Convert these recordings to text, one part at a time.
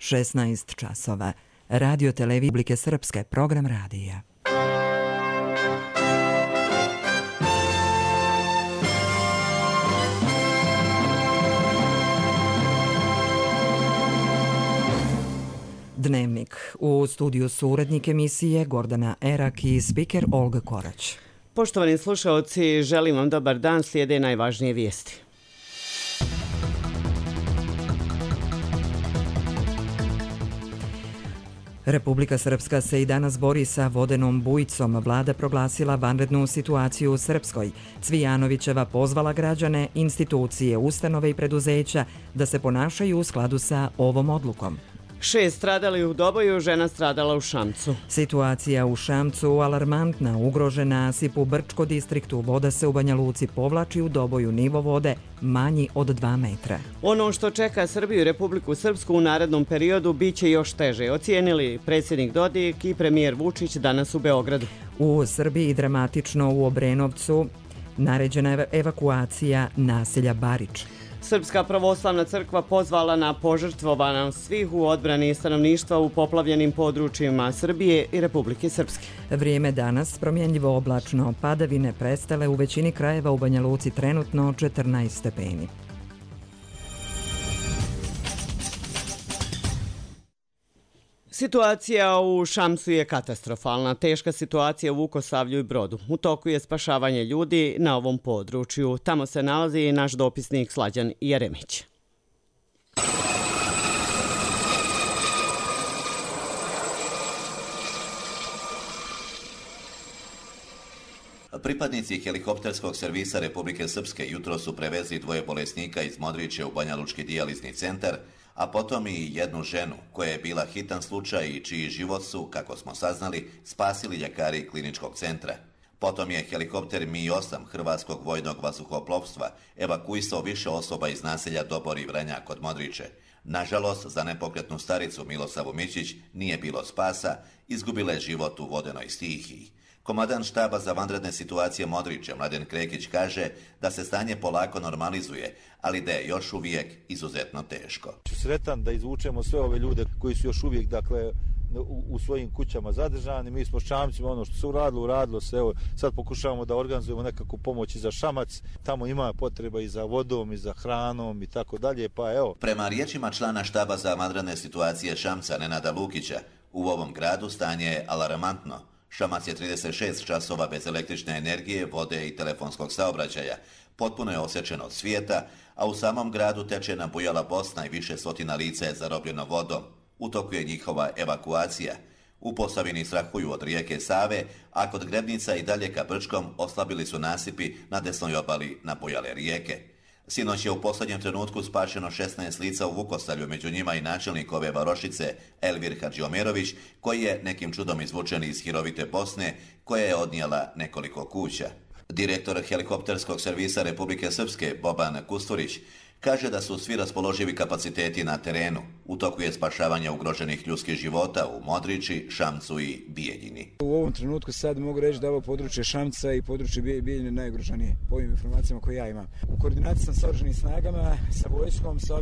16 časova. Radio Televizije Republike Srpske, program radija. Dnevnik. U studiju su urednik emisije Gordana Erak i spiker Olga Korać. Poštovani slušaoci, želim vam dobar dan, slijede najvažnije vijesti. Republika Srpska se i danas bori sa vodenom bujicom. Vlada proglasila vanrednu situaciju u Srpskoj. Cvijanovićeva pozvala građane, institucije, ustanove i preduzeća da se ponašaju u skladu sa ovom odlukom. 6 stradali u Doboju, žena stradala u Šamcu. Situacija u Šamcu alarmantna, ugrožena nasip u Brčko distriktu. Voda se u Banja Luci povlači, u Doboju nivo vode manji od 2 metra. Ono što čeka Srbiju i Republiku Srpsku u narednom periodu biće još teže, ocijenili predsjednik Dodik i premijer Vučić danas u Beogradu. U Srbiji dramatično u Obrenovcu naređena je evakuacija naselja Barič. Srpska pravoslavna crkva pozvala na požrtvovanje svih u odbrani stanovništva u poplavljenim područjima Srbije i Republike Srpske. Vrijeme danas promjenljivo oblačno, padavine prestale u većini krajeva, u Banja Luci trenutno 14 stepeni. Situacija u Šamcu je katastrofalna. Teška situacija u Vukosavlju i Brodu. U toku je spašavanje ljudi na ovom području. Tamo se nalazi i naš dopisnik Slađan Jeremić. Pripadnici helikopterskog servisa Republike Srpske jutro su prevezli 2 bolesnika iz Modriče u Banjalučki dijalizni centar, a potom i jednu ženu koja je bila hitan slučaj i čiji život su, kako smo saznali, spasili ljekari kliničkog centra. Potom je helikopter Mi-8 Hrvatskog vojnog vazduhoplovstva evakuisao više osoba iz naselja Dobor i Vranjak kod Modriče. Nažalost, za nepokretnu staricu Milosavu Mićić nije bilo spasa, izgubila je život u vodenoj stihiji. Komandant štaba za vanredne situacije Modriče, Mladen Krekić, kaže da se stanje polako normalizuje, ali da je još uvijek izuzetno teško. Sretan da izvučemo sve ove ljude koji su još uvijek u svojim kućama zadržani. Mi smo s Šamcima, ono što se uradilo se, evo, sad pokušavamo da organizujemo nekakvu pomoć i za Šamac. Tamo ima potreba i za vodom i za hranom i tako dalje, pa evo. Prema riječima člana štaba za vanredne situacije Šamca Nenada Lukića, u ovom gradu stanje je alarmantno. Šamac je 36 časova bez električne energije, vode i telefonskog saobraćaja. Potpuno je osječen od svijeta, a u samom gradu teče nabujala Bosna i više stotina lica je zarobljeno vodom. U toku je njihova evakuacija. U Posavini strahuju od rijeke Save, a kod Grebnica i dalje ka Brčkom oslabili su nasipi na desnoj obali nabujale rijeke. Sinoć je u posljednjem trenutku spašeno 16 lica u Vukosavlju, među njima i načelnik ove varošice Elvir Hadžiomerović, koji je nekim čudom izvučen iz hirovite Bosne, koja je odnijela nekoliko kuća. Direktor helikopterskog servisa Republike Srpske Boban Kusturić kaže da su svi raspoloživi kapaciteti na terenu. U toku je spašavanje ugroženih ljudskih života u Modriči, Šamcu i Bijeljini. U ovom trenutku sad mogu reći da ovo područje Šamca i područje Bijeljine najugroženije po ovim informacijama koje ja imam. U koordinaciji sam sa oružanim snagama, sa vojskom, sa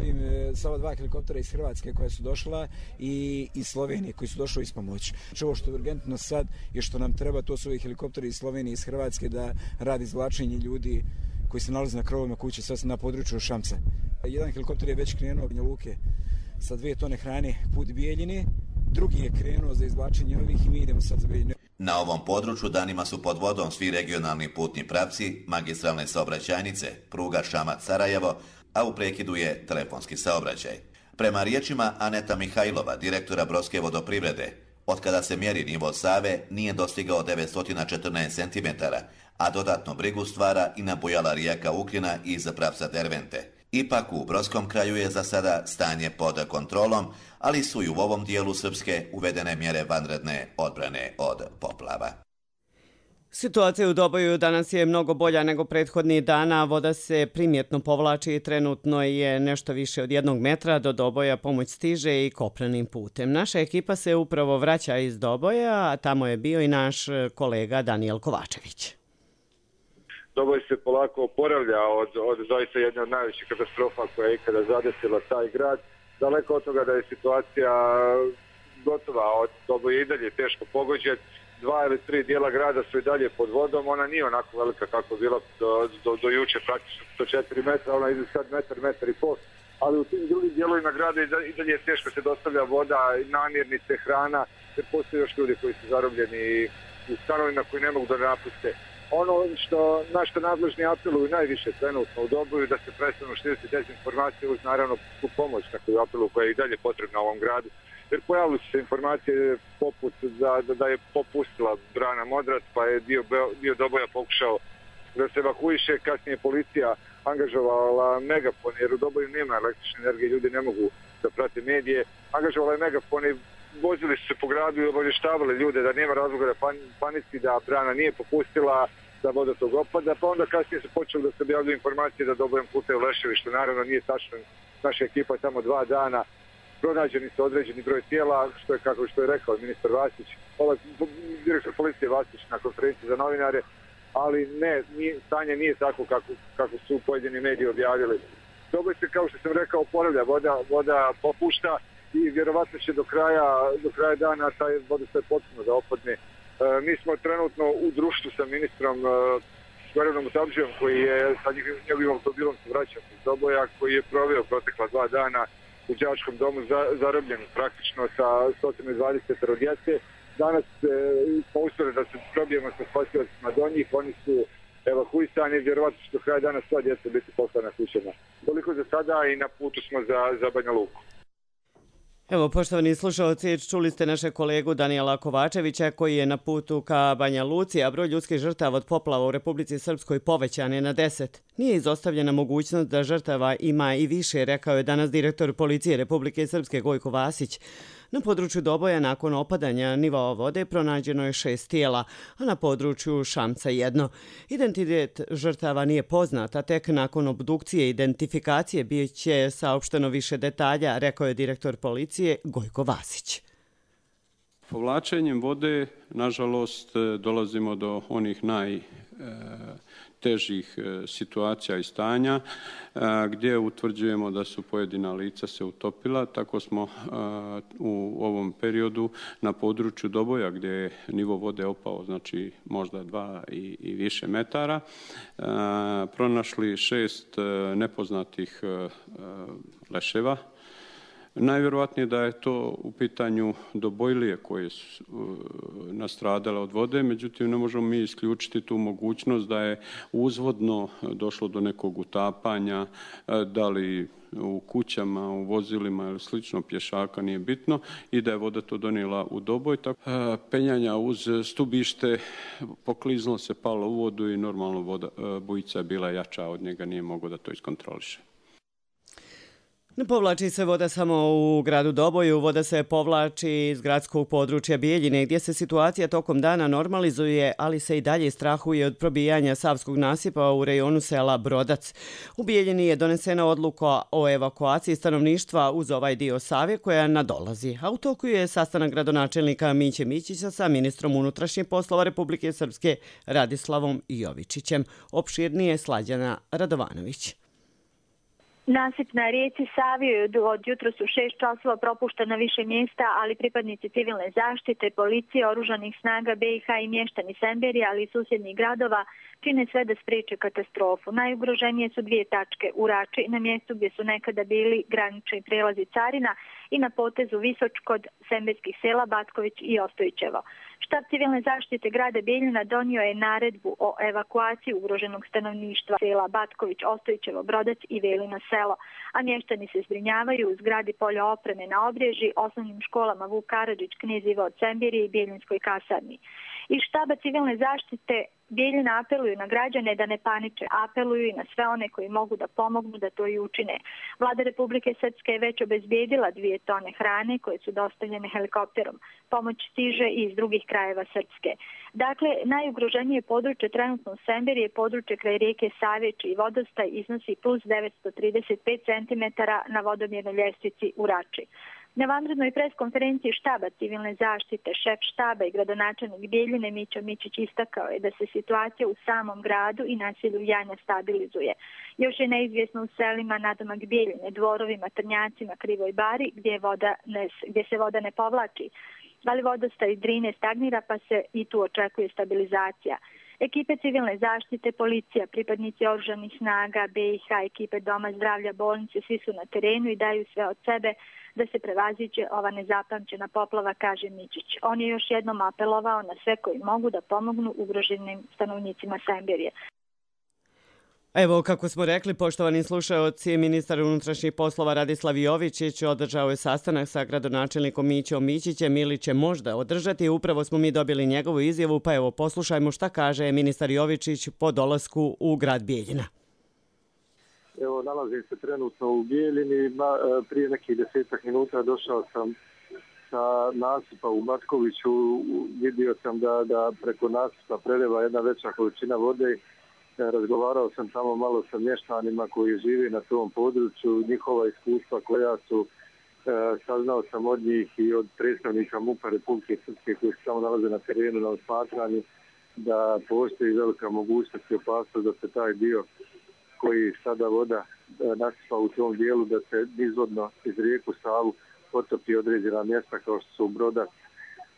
ova 2 helikoptera iz Hrvatske koja su došla i iz Slovenije koji su došli iz pomoći. Ovo što je urgentno sad je što nam treba, to su ovi helikopteri iz Slovenije i iz Hrvatske da radi izvlačenje ljudi koji se nalaze na krovovima kuće, sad na području Šamca. Jedan helikopter je već krenuo Banja Luke sa 2 tone hrane put Bijeljine, drugi je krenuo za izvlačenje ovih i mi idemo sad za Bijeljinu. Na ovom području danima su pod vodom svi regionalni putni pravci, magistralne saobraćajnice, pruga Šamac-Sarajevo, a u prekidu je telefonski saobraćaj. Prema riječima Aneta Mihajlova, direktora Brodske vodoprivrede, otkada se mjeri nivo Save nije dostigao 914 cm, a dodatnu brigu stvara i nabujala rijeka Ukrina iz pravca Dervente. Ipak u Brodskom kraju je za sada stanje pod kontrolom, ali su i u ovom dijelu Srpske uvedene mjere vanredne odbrane od poplava. Situacija u Doboju danas je mnogo bolja nego prethodnih dana. Voda se primjetno povlači i trenutno je nešto više od 1 metra. Do Doboja pomoć stiže i kopnenim putem. Naša ekipa se upravo vraća iz Doboja, a tamo je bio i naš kolega Danijel Kovačević. Doboj se polako oporavlja od zaista jedne od najvećih katastrofa koja je ikada zadesila taj grad. daleko od toga da je situacija gotova, od Doboja i dalje teško pogođen. 2 ili 3 dijela grada su i dalje pod vodom, ona nije onako velika kako je bila do juče, praktično 104 metra, ona ide sad metar i pol, ali u tim drugim dijelovima grada i dalje teško se dostavlja voda, namirnice, hrana, jer postoje još ljudi koji su zarobljeni u stanovima koji ne mogu da napuste. Ono na što nadležni apeluju najviše trenutno u Doboju da se prestanu širiti dezinformacije uz naravno pomoć takvu apelu koja je i dalje potrebna u ovom gradu. Jer pojavili su se informacije poput da je popustila brana Modrac, pa je dio Doboja pokušao da se evakuiše, kasnije policija angažovala megafon, jer u Doboju nema električne energije, ljudi ne mogu da prate medije, angažovala je megafon i vozili su se po gradu i obavještavali ljude da nema razloga da panici, da brana nije popustila, da vodotok opada, pa onda kasnije su počeli da se objavljuju informacije da Dobojem plutaju leševi, što naravno nije tačno. Naša ekipa je tamo 2 dana, pronađeni su određeni broj tijela, što je rekao ministar Vasić, direktor policije Vasić na konferenciji za novinare, ali stanje nije tako kako su pojedini mediji objavili. Doboj se, kao što sam rekao, oporavlja, voda popušta i vjerovatno će do kraja dana taj vodostaj potpuno da opadne. Mi smo trenutno u društvu sa ministrom Goranom Mutabdžijom, koji je sa njegovim automobilom se vraćao iz Doboja, koji je proveo protekla 2 dana u đačkom domu zarobljen praktično sa 120 djece. Danas smo uspjeli da se probijemo sa spasiocima do njih, oni su evakuisani, vjerovatno će do kraja dana sva djeca biti poslana kućama. Toliko za sada i na putu smo za Banja Luku. Evo, poštovani slušalci, čuli ste našeg kolegu Danijela Kovačevića koji je na putu ka Banja Luci, a broj ljudskih žrtava od poplava u Republici Srpskoj povećan je na 10. Nije izostavljena mogućnost da žrtava ima i više, rekao je danas direktor policije Republike Srpske Gojko Vasić. Na području Doboja nakon opadanja nivoa vode pronađeno je 6 tijela, a na području Šamca 1. Identitet žrtava nije poznat, a tek nakon obdukcije i identifikacije bit će saopšteno više detalja, rekao je direktor policije Gojko Vasić. Povlačenjem vode, nažalost, dolazimo do onih najtežih situacija i stanja gdje utvrđujemo da su pojedina lica se utopila. Tako smo u ovom periodu na području Doboja gdje je nivo vode opao, znači možda 2 i više metara, pronašli 6 nepoznatih leševa. Najvjerojatnije da je to u pitanju dobojlije koje su nastradale od vode, međutim ne možemo mi isključiti tu mogućnost da je uzvodno došlo do nekog utapanja, da li u kućama, u vozilima ili slično, pješaka, nije bitno, i da je voda to donijela u Doboj. Penjanja uz stubište, pokliznulo se, palo u vodu i normalno bujica je bila jača od njega, nije mogao da to iskontroliše. Ne povlači se voda samo u gradu Doboju, voda se povlači iz gradskog područja Bijeljine, gdje se situacija tokom dana normalizuje, ali se i dalje strahuje od probijanja Savskog nasipa u rejonu sela Brodac. U Bijeljini je donesena odluka o evakuaciji stanovništva uz ovaj dio Save koja nadolazi, a u toku je sastanak gradonačelnika Miće Mićića sa ministrom unutrašnjih poslova Republike Srpske Radislavom Jovičićem. Opširnije Slađana Radovanović. Nasip na rijeci Savi od jutros u 6 časova propušten na više mjesta, ali pripadnici civilne zaštite, policije, oružanih snaga BiH i mještani Semberija, ali i susjednih gradova čine sve da spriječe katastrofu. Najugroženije su 2 tačke u Rači, na mjestu gdje su nekada bili granični prelazi Carina, i na potezu Visoč kod semberskih sela Batković i Ostojićevo. Štab civilne zaštite grada Bijeljina donio je naredbu o evakuaciji ugroženog stanovništva sela Batković, Ostojićevo, Brodac i Velino selo, a mještani se zbrinjavaju u zgradi polja opreme na Obrježi, osnovnim školama Vuk Karadžić, Knez Ivo od Semberije i Bijeljinskoj kasarni. Iz štaba civilne zaštite Bijeljina apeluju na građane da ne paniče, apeluju i na sve one koji mogu da pomognu da to i učine. Vlada Republike Srpske je već obezbijedila 2 tone hrane koje su dostavljene helikopterom. Pomoć stiže i iz drugih krajeva Srpske. Dakle, najugroženije područje trenutno u Semberiji je područje kraj rijeke Save, čiji vodostaj iznosi plus 935 cm na vodomjernoj ljestvici u Rači. Na vanrednoj preskonferenciji štaba civilne zaštite, šef štaba i gradonačelnik Bijeljine Mićo Mičić istakao je da se situacija u samom gradu i naselju Janja stabilizuje. Još je neizvjesno u selima nadomak Bijeljine, Dvorovima, Trnjacima, Krivoj Bari gdje se voda ne povlači, ali vodostaj Drine stagnira pa se i tu očekuje stabilizacija. Ekipe civilne zaštite, policija, pripadnici oružanih snaga, BiH, ekipe Doma zdravlja, bolnice, svi su na terenu i daju sve od sebe da se prevaziđe ova nezapamćena poplava, kaže Mičić. On je još jednom apelovao na sve koji mogu da pomognu ugroženim stanovnicima Semberije. Evo, kako smo rekli, poštovani slušaoci, ministar unutrašnjih poslova Radislav Jovičić održao je sastanak sa gradonačelnikom Mićom Mičićem ili će možda održati. Upravo smo mi dobili njegovu izjavu, pa evo poslušajmo šta kaže ministar Jovičić po dolasku u grad Bijeljina. Evo, nalazim se trenutno u Bijeljini. Prije nekih 10 minuta došao sam sa nasipa u Matkoviću. Vidio sam da preko nasipa preliva jedna veća količina vode. Razgovarao sam tamo malo sa mještanima koji žive na tom području, njihova iskustva koja su, saznao sam od njih i od predstavnika MUP-a Republike Srpske koji se tamo nalaze na terenu na osmatranju, da postoji velika mogućnost i opasnost da se taj dio koji sada voda nasipa u tom dijelu, da se nizvodno iz rijeku Savu potopi određena mjesta kao što su Brodac,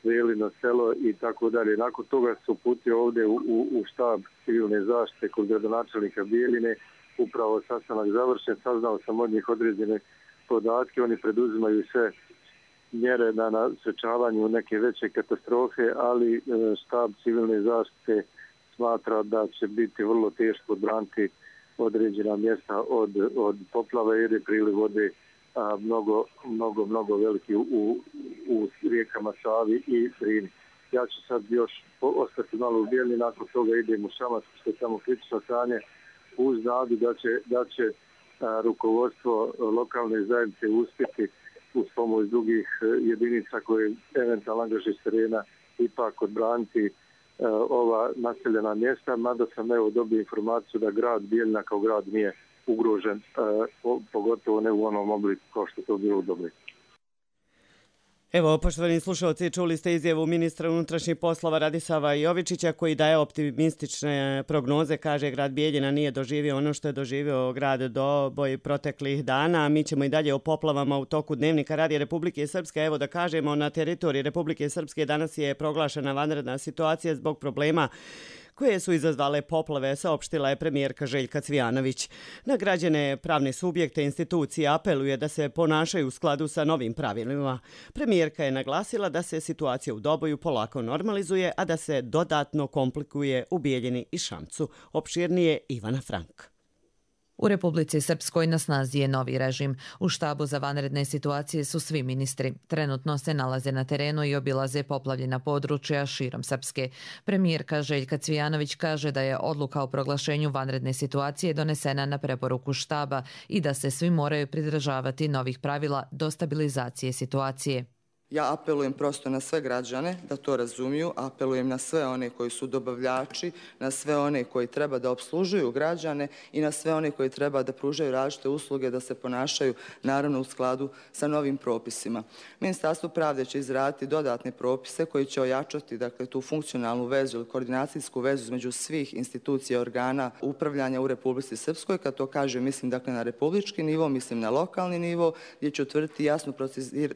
Velino selo i tako dalje. Nakon toga su putio ovdje u štab civilne zaštite kod gradonačelnika Bijeljine. Upravo sastanak završen, saznao sam od njih određene podatke. Oni preduzimaju sve mjere na sprečavanju neke veće katastrofe, ali štab civilne zaštite smatra da će biti vrlo teško odbraniti određena mjesta od poplava jer je priliv vode mnogo veliki u rijekama Savi i Drini. Ja ću sad još ostati malo u Bijeljini, nakon toga idem u Šamac, što je tamo kritično stanje, uz nadu da će rukovodstvo lokalne zajednice uspjeti uz pomoć drugih jedinica koje eventualno angažuju s terena ipak odbraniti ova naseljena mjesta, mada sam dobio informaciju da grad Bijeljina kao grad nije ugrožen, pogotovo ne u onom obliku kao što to bilo u Dobri. Evo, poštovani slušalci, čuli ste izjavu ministra unutrašnjih poslova Radislava Jovičića koji daje optimistične prognoze. Kaže, grad Bijeljina nije doživio ono što je doživio grad Doboj proteklih dana. Mi ćemo i dalje o poplavama u toku dnevnika Radija Republike Srpske. Evo da kažemo, na teritoriji Republike Srpske danas je proglašena vanredna situacija zbog problema koje su izazvale poplave, saopštila je premijerka Željka Cvijanović. Na građane, pravne subjekte, institucije apeluje da se ponašaju u skladu sa novim pravilima. Premijerka je naglasila da se situacija u Doboju polako normalizuje, a da se dodatno komplikuje u Bijeljini i Šamcu. Opširnije Ivana Frank. U Republici Srpskoj na snazi je novi režim. U štabu za vanredne situacije su svi ministri. Trenutno se nalaze na terenu i obilaze poplavljena područja širom Srpske. Premijerka Željka Cvijanović kaže da je odluka o proglašenju vanredne situacije donesena na preporuku štaba i da se svi moraju pridržavati novih pravila do stabilizacije situacije. Ja apelujem prosto na sve građane da to razumiju, apelujem na sve one koji su dobavljači, na sve one koji treba da opslužuju građane i na sve one koji treba da pružaju različite usluge, da se ponašaju naravno u skladu sa novim propisima. Ministarstvo pravde će izraditi dodatne propise koji će ojačati tu funkcionalnu vezu ili koordinacijsku vezu između svih institucija i organa upravljanja u Republici Srpskoj. Kad to kažem, mislim na republički nivo, mislim na lokalni nivo, gdje će utvrditi jasno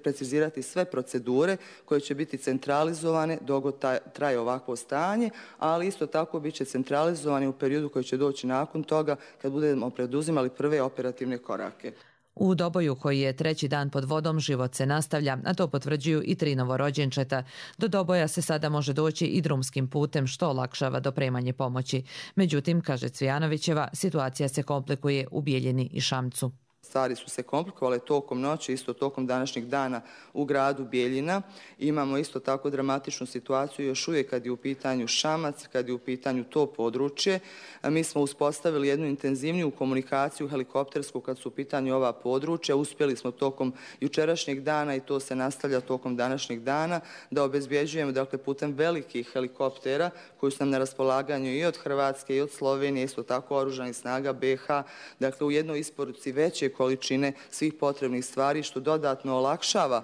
precizirati sve procedure koje će biti centralizovane dok traje ovakvo stanje, ali isto tako bit će centralizovani u periodu koji će doći nakon toga kad budemo preduzimali prve operativne korake. U Doboju, koji je treći dan pod vodom, život se nastavlja, a to potvrđuju i 3 novorođenčeta. Do Doboja se sada može doći i drumskim putem, što olakšava dopremanje pomoći. Međutim, kaže Cvijanovićeva, situacija se komplikuje u Bijeljini i Šamcu. Stvari su se komplikovale tokom noći, isto tokom današnjeg dana u gradu Bijeljina. Imamo isto tako dramatičnu situaciju još uvijek kad je u pitanju Šamac, kad je u pitanju to područje. Mi smo uspostavili jednu intenzivniju komunikaciju helikoptersku kad su u pitanju ova područja. Uspjeli smo tokom jučerašnjeg dana i to se nastavlja tokom današnjeg dana da obezbjeđujemo putem velikih helikoptera koji su nam na raspolaganju i od Hrvatske i od Slovenije, isto tako oružanih snaga BiH, u jednoj isporuci veće količine svih potrebnih stvari, što dodatno olakšava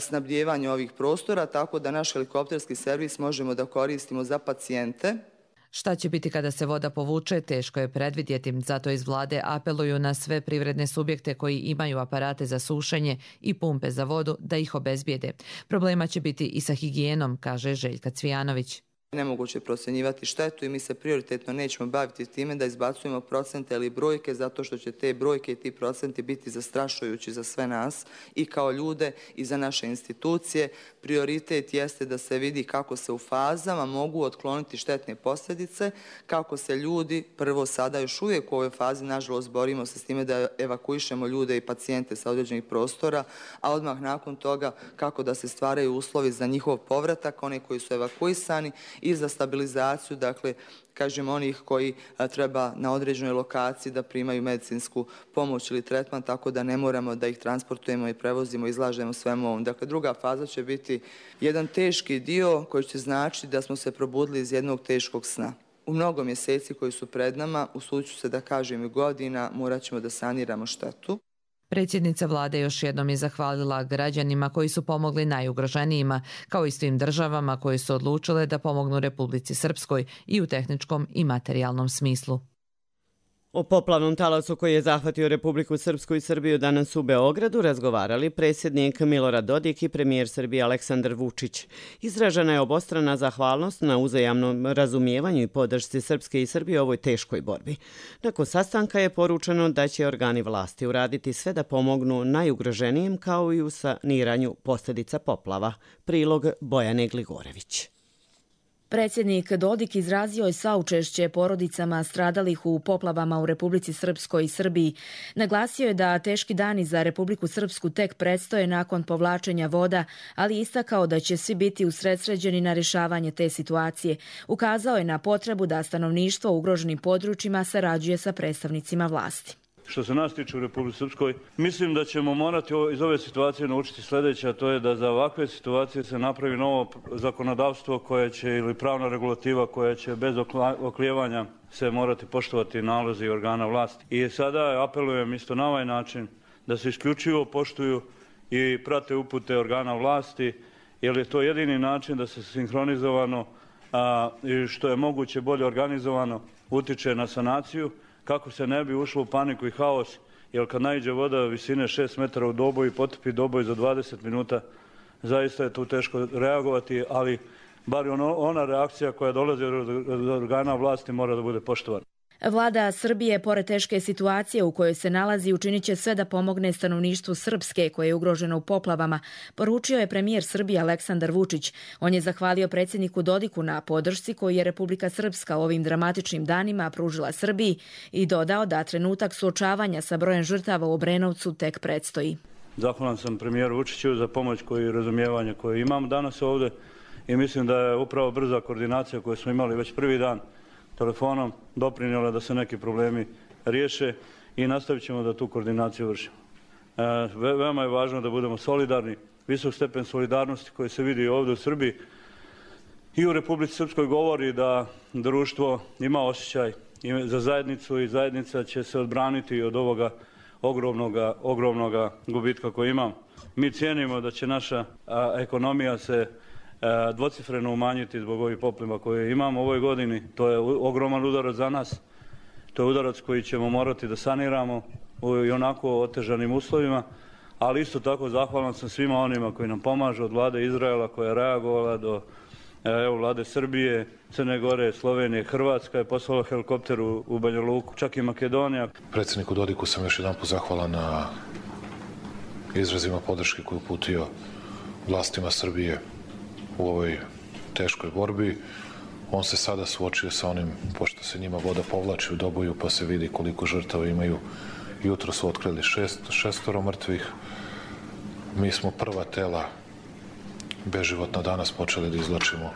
snabdijevanje ovih prostora, tako da naš helikopterski servis možemo da koristimo za pacijente. Šta će biti kada se voda povuče, teško je predvidjeti, zato iz vlade apeluju na sve privredne subjekte koji imaju aparate za sušenje i pumpe za vodu da ih obezbijede. Problema će biti i sa higijenom, kaže Željka Cvijanović. Nemoguće procjenjivati štetu i mi se prioritetno nećemo baviti time da izbacujemo procente ili brojke, zato što će te brojke i ti procenti biti zastrašujući za sve nas i kao ljude i za naše institucije. Prioritet jeste da se vidi kako se u fazama mogu otkloniti štetne posljedice, kako se ljudi, prvo sada još uvijek u ovoj fazi, nažalost, borimo se s time da evakuišemo ljude i pacijente sa određenih prostora, a odmah nakon toga kako da se stvaraju uslovi za njihov povratak, one koji su evakuisani, i za stabilizaciju, dakle, kažem, onih koji treba na određenoj lokaciji da primaju medicinsku pomoć ili tretman, tako da ne moramo da ih transportujemo i prevozimo, izlažemo svemu ovom. Dakle, druga faza će biti jedan teški dio koji će značiti da smo se probudili iz jednog teškog sna. U mnogo mjeseci koji su pred nama, usudit ću se da kažem i godina, morat ćemo da saniramo štetu. Predsjednica vlade još jednom je zahvalila građanima koji su pomogli najugroženijima, kao i svim državama koje su odlučile da pomognu Republici Srpskoj i u tehničkom i materijalnom smislu. O poplavnom talasu koji je zahvatio Republiku Srpsku i Srbiju danas u Beogradu razgovarali predsjednik Milorad Dodik i premijer Srbije Aleksandar Vučić. Izražena je obostrana zahvalnost na uzajamnom razumijevanju i podršci Srpske i Srbije u ovoj teškoj borbi. Nakon sastanka je poručeno da će organi vlasti uraditi sve da pomognu najugroženijim kao i u saniranju posljedica poplava. Prilog Bojane Gligorević. Predsjednik Dodik izrazio je saučešće porodicama stradalih u poplavama u Republici Srpskoj i Srbiji. Naglasio je da teški dani za Republiku Srpsku tek predstoje nakon povlačenja voda, ali istakao da će svi biti usredsređeni na rješavanje te situacije. Ukazao je na potrebu da stanovništvo u ugroženim područjima sarađuje sa predstavnicima vlasti. Što se nas tiče u Republici Srpskoj, mislim da ćemo morati iz ove situacije naučiti sljedeće, a to je da za ovakve situacije se napravi novo zakonodavstvo koje će, ili pravna regulativa koja će bez oklijevanja se morati poštovati nalozi organa vlasti. I sada apelujem isto na ovaj način da se isključivo poštuju i prate upute organa vlasti, jer je to jedini način da se sinhronizovano i što je moguće bolje organizovano utiče na sanaciju, kako se ne bi ušlo u paniku i haos, jer kad naiđe voda visine 6 metara u Doboj i potopi Doboj za 20 minuta, zaista je tu teško reagovati, ali bar ona reakcija koja dolazi od organa vlasti mora da bude poštovana. Vlada Srbije, pored teške situacije u kojoj se nalazi, učinit će sve da pomogne stanovništvu Srpske koje je ugroženo u poplavama, poručio je premijer Srbije Aleksandar Vučić. On je zahvalio predsjedniku Dodiku na podršci koju je Republika Srpska u ovim dramatičnim danima pružila Srbiji i dodao da trenutak suočavanja sa brojem žrtava u Obrenovcu tek predstoji. Zahvalan sam premijeru Vučiću za pomoć i razumijevanje koje imam danas ovdje i mislim da je upravo brza koordinacija koju smo imali već prvi dan telefonom doprinijela da se neki problemi riješe i nastavit ćemo da tu koordinaciju vršimo. Veoma je važno da budemo solidarni, visok stepen solidarnosti koji se vidi ovdje u Srbiji i u Republici Srpskoj govori da društvo ima osjećaj za zajednicu i zajednica će se odbraniti od ovoga ogromnoga gubitka koji imamo. Mi cijenimo da će naša ekonomija se dvocifreno umanjiti zbog ovih poplava koje imamo u ovoj godini. To je ogroman udarac za nas. To je udarac koji ćemo morati da saniramo u onako otežanim uslovima, ali isto tako zahvalan sam svima onima koji nam pomažu, od vlade Izraela koja je reagovala do vlade Srbije, Crne Gore, Slovenije, Hrvatska je poslala helikopter u Banja Luku, čak i Makedonija. Predsjedniku Dodiku sam još jedan put zahvalan na izrazima podrške koju uputio vlastima Srbije u ovoj teškoj borbi. On se sada suočio sa onim, pošto se njima voda povlači u Doboju, pa se vidi koliko žrtava imaju. Jutro su otkrili šestoro mrtvih. Mi smo prva tela beživotna danas počeli da izvlačimo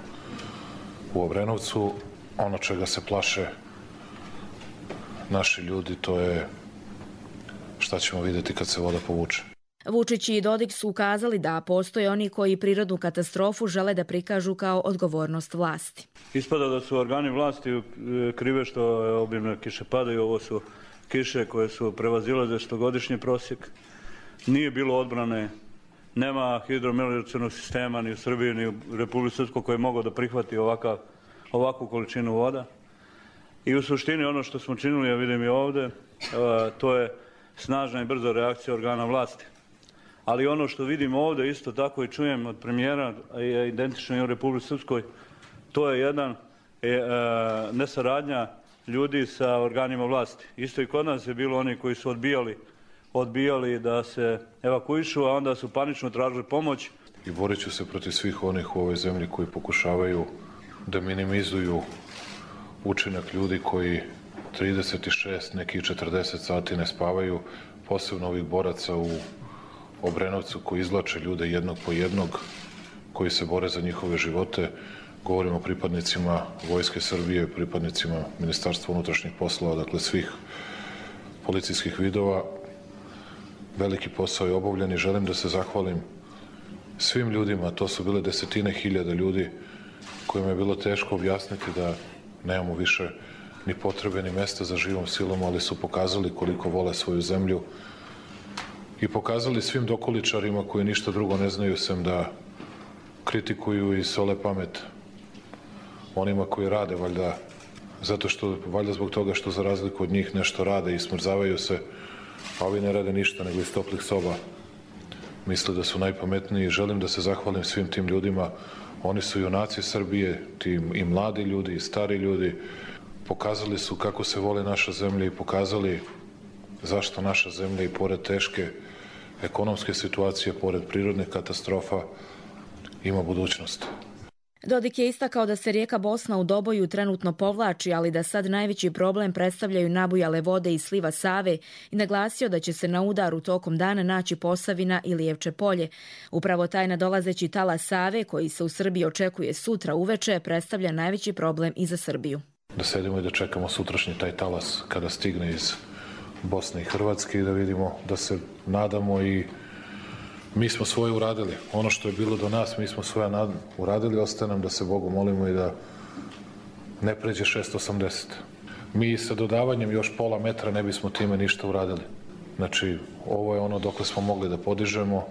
u Obrenovcu. Ono čega se plaše naši ljudi, to je šta ćemo vidjeti kad se voda povuče. Vučić i Dodik su ukazali da postoje oni koji prirodnu katastrofu žele da prikažu kao odgovornost vlasti. Ispada da su organi vlasti krive što obimne kiše padaju, ovo su kiše koje su prevazilaze 100-godišnji prosjek. Nije bilo odbrane, nema hidromelioracionog sistema ni u Srbiji ni u Republici Srpskoj koji je mogao da prihvati ovakvu količinu voda. I u suštini ono što smo činili, ja vidim i ovde, to je snažna i brza reakcija organa vlasti. Ali ono što vidim ovde isto tako i čujem od premijera, je identično i u Republici Srpskoj, to je jedan nesaradnja ljudi sa organima vlasti. Isto i kod nas je bilo oni koji su odbijali da se evakuišu, a onda su panično tražili pomoć. I borit ću se protiv svih onih u ovoj zemlji koji pokušavaju da minimizuju učinak ljudi koji 36, neki 40 sati ne spavaju, posebno ovih boraca u Obrenovcu koji izvlače ljude jednog po jednog, koji se bore za njihove živote. Govorimo o pripadnicima Vojske Srbije, pripadnicima Ministarstva unutrašnjih poslova, dakle svih policijskih vidova. Veliki posao je obavljen i želim da se zahvalim svim ljudima, to su bile desetine hiljada ljudi kojima je bilo teško objasniti da nemamo više ni potrebe ni mesta za živom silom, ali su pokazali koliko vole svoju zemlju i pokazali svim dokoličarima koji ništa drugo ne znaju sem da kritikuju i sole pamet onima koji rade, valjda zbog toga što za razliku od njih nešto rade i smrzavaju se, a ovi ne rade ništa nego iz toplih soba misle da su najpametniji. Želim da se zahvalim svim tim ljudima. Oni su junaci Srbije, i mladi ljudi i stari ljudi. Pokazali su kako se voli naša zemlja i pokazali zašto naša zemlja i pored teške ekonomske situacije, pored prirodnih katastrofa, ima budućnost. Dodik je istakao da se rijeka Bosna u Doboju trenutno povlači, ali da sad najveći problem predstavljaju nabujale vode iz sliva Save i naglasio da će se na udaru tokom dana naći Posavina i Lijevče polje. Upravo taj nadolazeći talas Save, koji se u Srbiji očekuje sutra uveče, predstavlja najveći problem i za Srbiju. Da sedimo i da čekamo sutrašnji taj talas kada stigne iz Bosne i Hrvatske i da vidimo, da se nadamo i mi smo svoje uradili. Ono što je bilo do nas, mi smo svoje uradili, ostaje nam da se Bogu molimo i da ne pređe 680. Mi sa dodavanjem još pola metra ne bismo time ništa uradili. Znači, ovo je ono dokle smo mogli da podižemo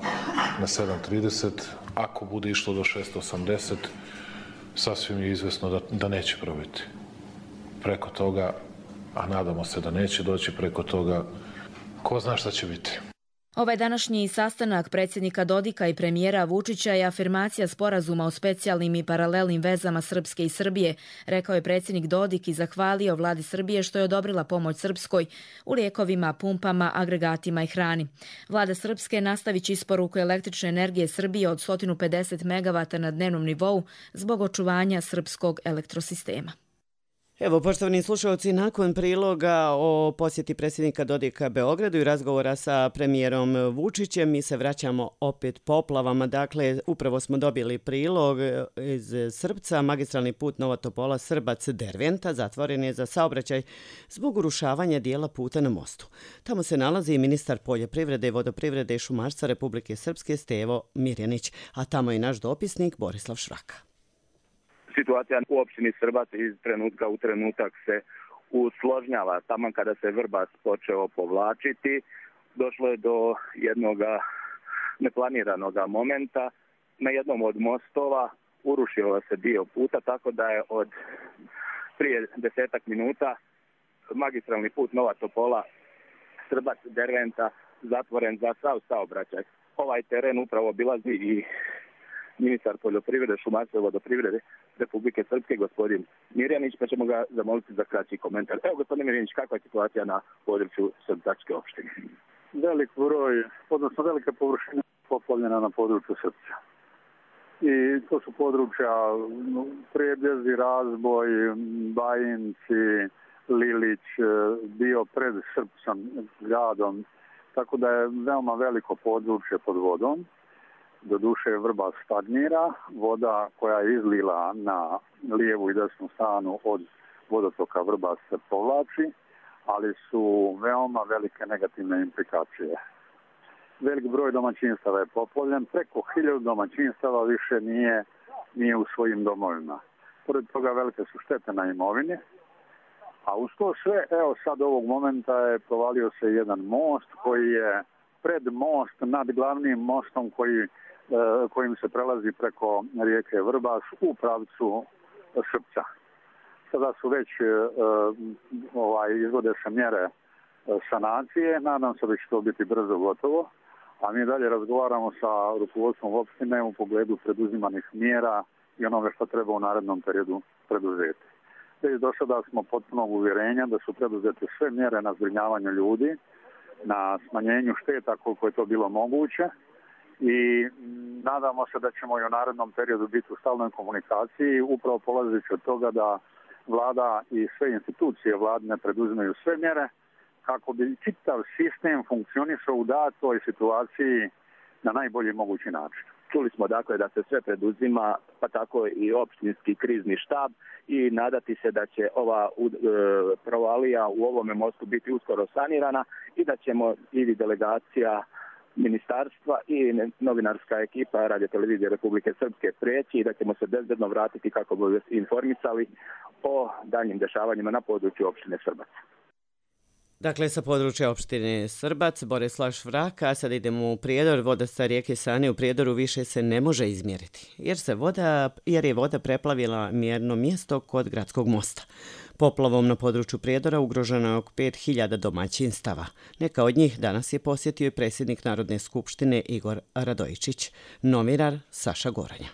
na 730. Ako bude išlo do 680, sasvim je izvesno da neće probiti. Preko toga, a nadamo se da neće doći preko toga, ko zna šta će biti. Ovaj današnji sastanak predsjednika Dodika i premijera Vučića je afirmacija sporazuma o specijalnim i paralelnim vezama Srpske i Srbije, rekao je predsjednik Dodik i zahvalio vladi Srbije što je odobrila pomoć Srpskoj u lijekovima, pumpama, agregatima i hrani. Vlada Srpske nastavit će isporuku električne energije Srbije od 150 MW na dnevnom nivou zbog očuvanja srpskog elektrosistema. Evo, poštovani slušalci, nakon priloga o posjeti predsjednika Dodika Beogradu i razgovora sa premijerom Vučićem, mi se vraćamo opet poplavama. Dakle, upravo smo dobili prilog iz Srpca. Magistralni put Nova Topola Srbac-Derventa zatvoren je za saobraćaj zbog urušavanja dijela puta na mostu. Tamo se nalazi i ministar poljoprivrede, vodoprivrede i šumarstva Republike Srpske Stevo Mirjanić, a tamo je naš dopisnik Borislav Švraka. Situacija u opštini Srbac iz trenutka u trenutak se usložnjava. Tamo kada se Vrbas počeo povlačiti, došlo je do jednog neplaniranog momenta. Na jednom od mostova urušio se dio puta, tako da je od prije 10 minuta magistralni put Nova Topola Srbac-Derventa zatvoren za sav saobraćaj. Ovaj teren upravo obilazi i ministar poljoprivrede, šumarstva i vodoprivrede Republike Srpske, gospodin Mirjanić, pa ćemo ga zamoliti za kraći komentar. Evo, gospodin Mirjanić, kakva je situacija na području Srpčke opštine? Velik broj, odnosno velika površina poplavljena na području Srpca. I to su područja Prebjezi, Razboj, Bajinci, Lilić, bio pred Srpcom gradom, tako da je veoma veliko područje pod vodom. Doduše Vrbas stagnira, voda koja je izlila na lijevu i desnu stranu od vodotoka Vrbas se povlači, ali su veoma velike negativne implikacije. Velik broj domaćinstava je poplavljen, preko 1000 domaćinstava više nije u svojim domovima. Pored toga velike su štete na imovini, A uz to sve, evo sad ovog momenta je provalio se jedan most koji je pred most nad glavnim mostom kojim se prelazi preko rijeke Vrbas u pravcu Šrpca. Sada su već izvode se mjere sanacije, nadam se da će to biti brzo gotovo, a mi dalje razgovaramo sa rukovodstvom opštine u pogledu preduzimanih mjera i onoga što treba u narednom periodu preduzeti. Već do sada smo potpunog uvjerenja da su preduzete sve mjere na zbrinjavanju ljudi, na smanjenju šteta koliko je to bilo moguće i nadamo se da ćemo i u narednom periodu biti u stalnoj komunikaciji, upravo polazeći od toga da vlada i sve institucije vladine preduzimaju sve mjere kako bi čitav sistem funkcionisao u datoj situaciji na najbolji mogući način. Čuli smo dakle da se sve preduzima, pa tako i opštinski krizni štab i nadati se da će ova provalija u ovome mostu biti uskoro sanirana i da ćemo i delegacija ministarstva i novinarska ekipa Radio-televizije Republike Srpske prijeći i da ćemo se bezbedno vratiti kako bi informisali o daljnjim dešavanjima na području opštine Srbac. Dakle, sa područja opštine Srbac, Borislav Švrak, a sad idemo u Prijedor. Voda sa rijeke Sane u Prijedoru više se ne može izmjeriti, jer je voda preplavila mjerno mjesto kod gradskog mosta. Poplavom na području Prijedora ugroženo je oko 5000 domaćinstava. Neka od njih danas je posjetio i predsjednik Narodne skupštine Igor Radojičić. Novinar Saša Goranja.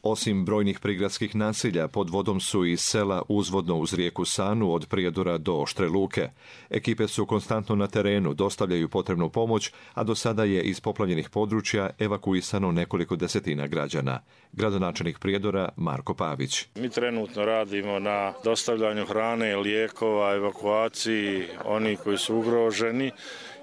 Osim brojnih prigradskih naselja, pod vodom su i sela uzvodno uz rijeku Sanu od Prijedora do Oštre Luke. Ekipe su konstantno na terenu, dostavljaju potrebnu pomoć, a do sada je iz poplavljenih područja evakuisano nekoliko desetina građana. Gradonačelnik Prijedora Marko Pavić. Mi trenutno radimo na dostavljanju hrane, lijekova, evakuaciji onih koji su ugroženi.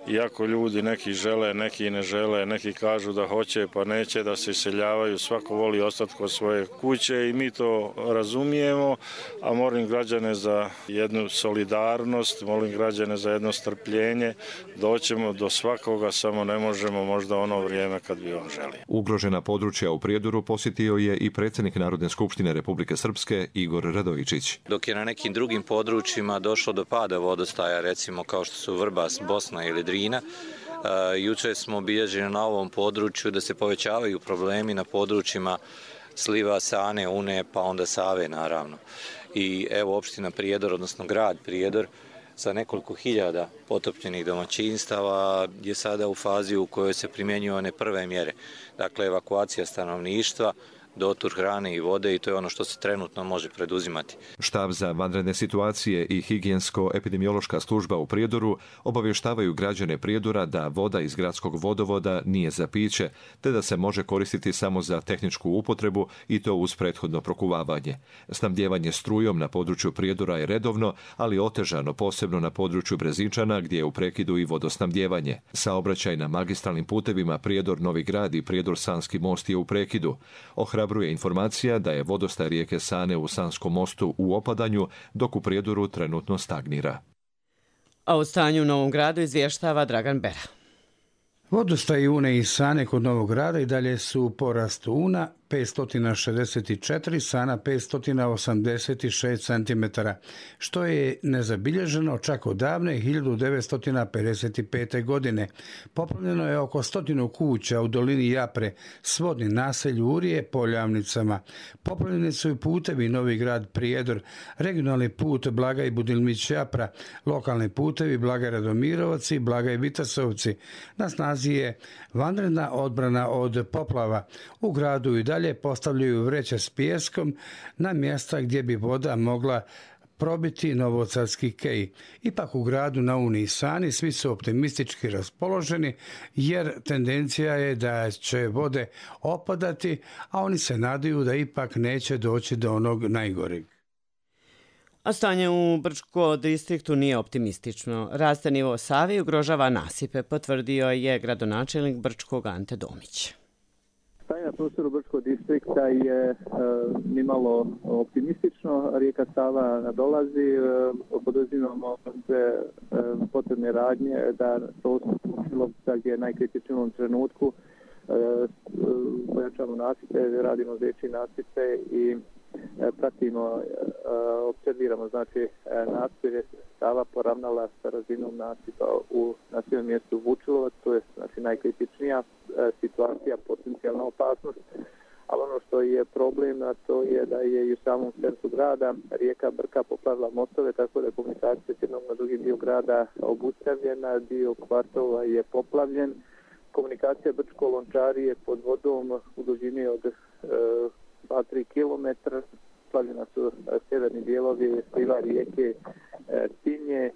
Iako ljudi neki žele, neki ne žele, neki kažu da hoće pa neće da se iseljavaju, svako voli ostati kod svoje kuće i mi to razumijemo, a molim građane za jednu solidarnost, molim građane za jedno strpljenje, doćemo do svakoga, samo ne možemo možda ono vrijeme kad bi on želio. Ugrožena područja u Prijedoru posjetio je i predsjednik Narodne skupštine Republike Srpske Igor Radojičić. Dok je na nekim drugim područjima došlo do pada vodostaja, recimo kao što su Vrbas, Bosna ili Drina, jučer smo obilježili na ovom području da se povećavaju problemi na područjima sliva Sane, Une, pa onda Save naravno. I evo opština Prijedor, odnosno grad Prijedor, sa nekoliko hiljada potopljenih domaćinstava je sada u fazi u kojoj se primjenjuju one prve mjere. Dakle, evakuacija stanovništva, dotur hrane i vode i to je ono što se trenutno može preduzimati. Štab za vanredne situacije i higijensko-epidemiološka služba u Prijedoru obavještavaju građane Prijedora da voda iz gradskog vodovoda nije za piće, te da se može koristiti samo za tehničku upotrebu i to uz prethodno prokuvavanje. Snabdjevanje strujom na području Prijedora je redovno, ali otežano posebno na području Brezinčana gdje je u prekidu i vodosnabdjevanje. Saobraćaj na magistralnim putevima Prijedor-Novi Grad i Prijedor-Sanski most je u prekidu. Ohrabruje informacija da je vodostaj rijeke Sane u Sanskom mostu u opadanju, dok u Prijedoru trenutno stagnira. A o stanju u Novom Gradu izvještava Dragan Bera. Vodostaj Une i Sane kod Novog Grada i dalje su u porastu. Una 564, Sana 586 cm, što je nezabilježeno čak od davne 1955. godine. Poplavljeno je oko 100 kuća u dolini Japre, svodni naselj Urije, Poljavnicama. Poplavljeni su i putevi Novi Grad Prijedor, regionalni put Blagaj Budilmić Japra, lokalni putevi Blagaj Radomirovac i Blagaj Vitasovci. Na snazi je vanredna odbrana od poplava. U gradu i dalje postavljaju vreće s pijeskom na mjesta gdje bi voda mogla probiti Novosadski kej. Ipak u gradu na Uni i Sani svi su optimistički raspoloženi jer tendencija je da će vode opadati, a oni se nadaju da ipak neće doći do onog najgoreg. A stanje u Brčko distriktu nije optimistično. Raste nivo Save i ugrožava nasipe, potvrdio je gradonačelnik Brčkog Ante Domić. Stanje na prostoru Brčkog distrikta je nimalo optimistično. Rijeka Sava nadolazi, poduzimamo sve potrebne radnje da prostoru gdje je najkritičniji u ovom trenutku pojačamo nasipe, radimo veći nasipe i pratimo, observiramo znači nasipe Sava poravnala sa razinom nasipa u naseljenom mjestu Vučilovac, to je znači najkritičnija situacija, potencijalna opasnost. Ali ono što je problem, a to je da je i u samom centru grada rijeka Brka poplavila mostove, tako da je komunikacija s jednog na drugi dio grada obustavljena, dio kvartova je poplavljen. Komunikacija Brčko-Lončari je pod vodom u dužini od 2-3 km. Poplavljena su sjeverni dijelovi sliva rijeke Tinje.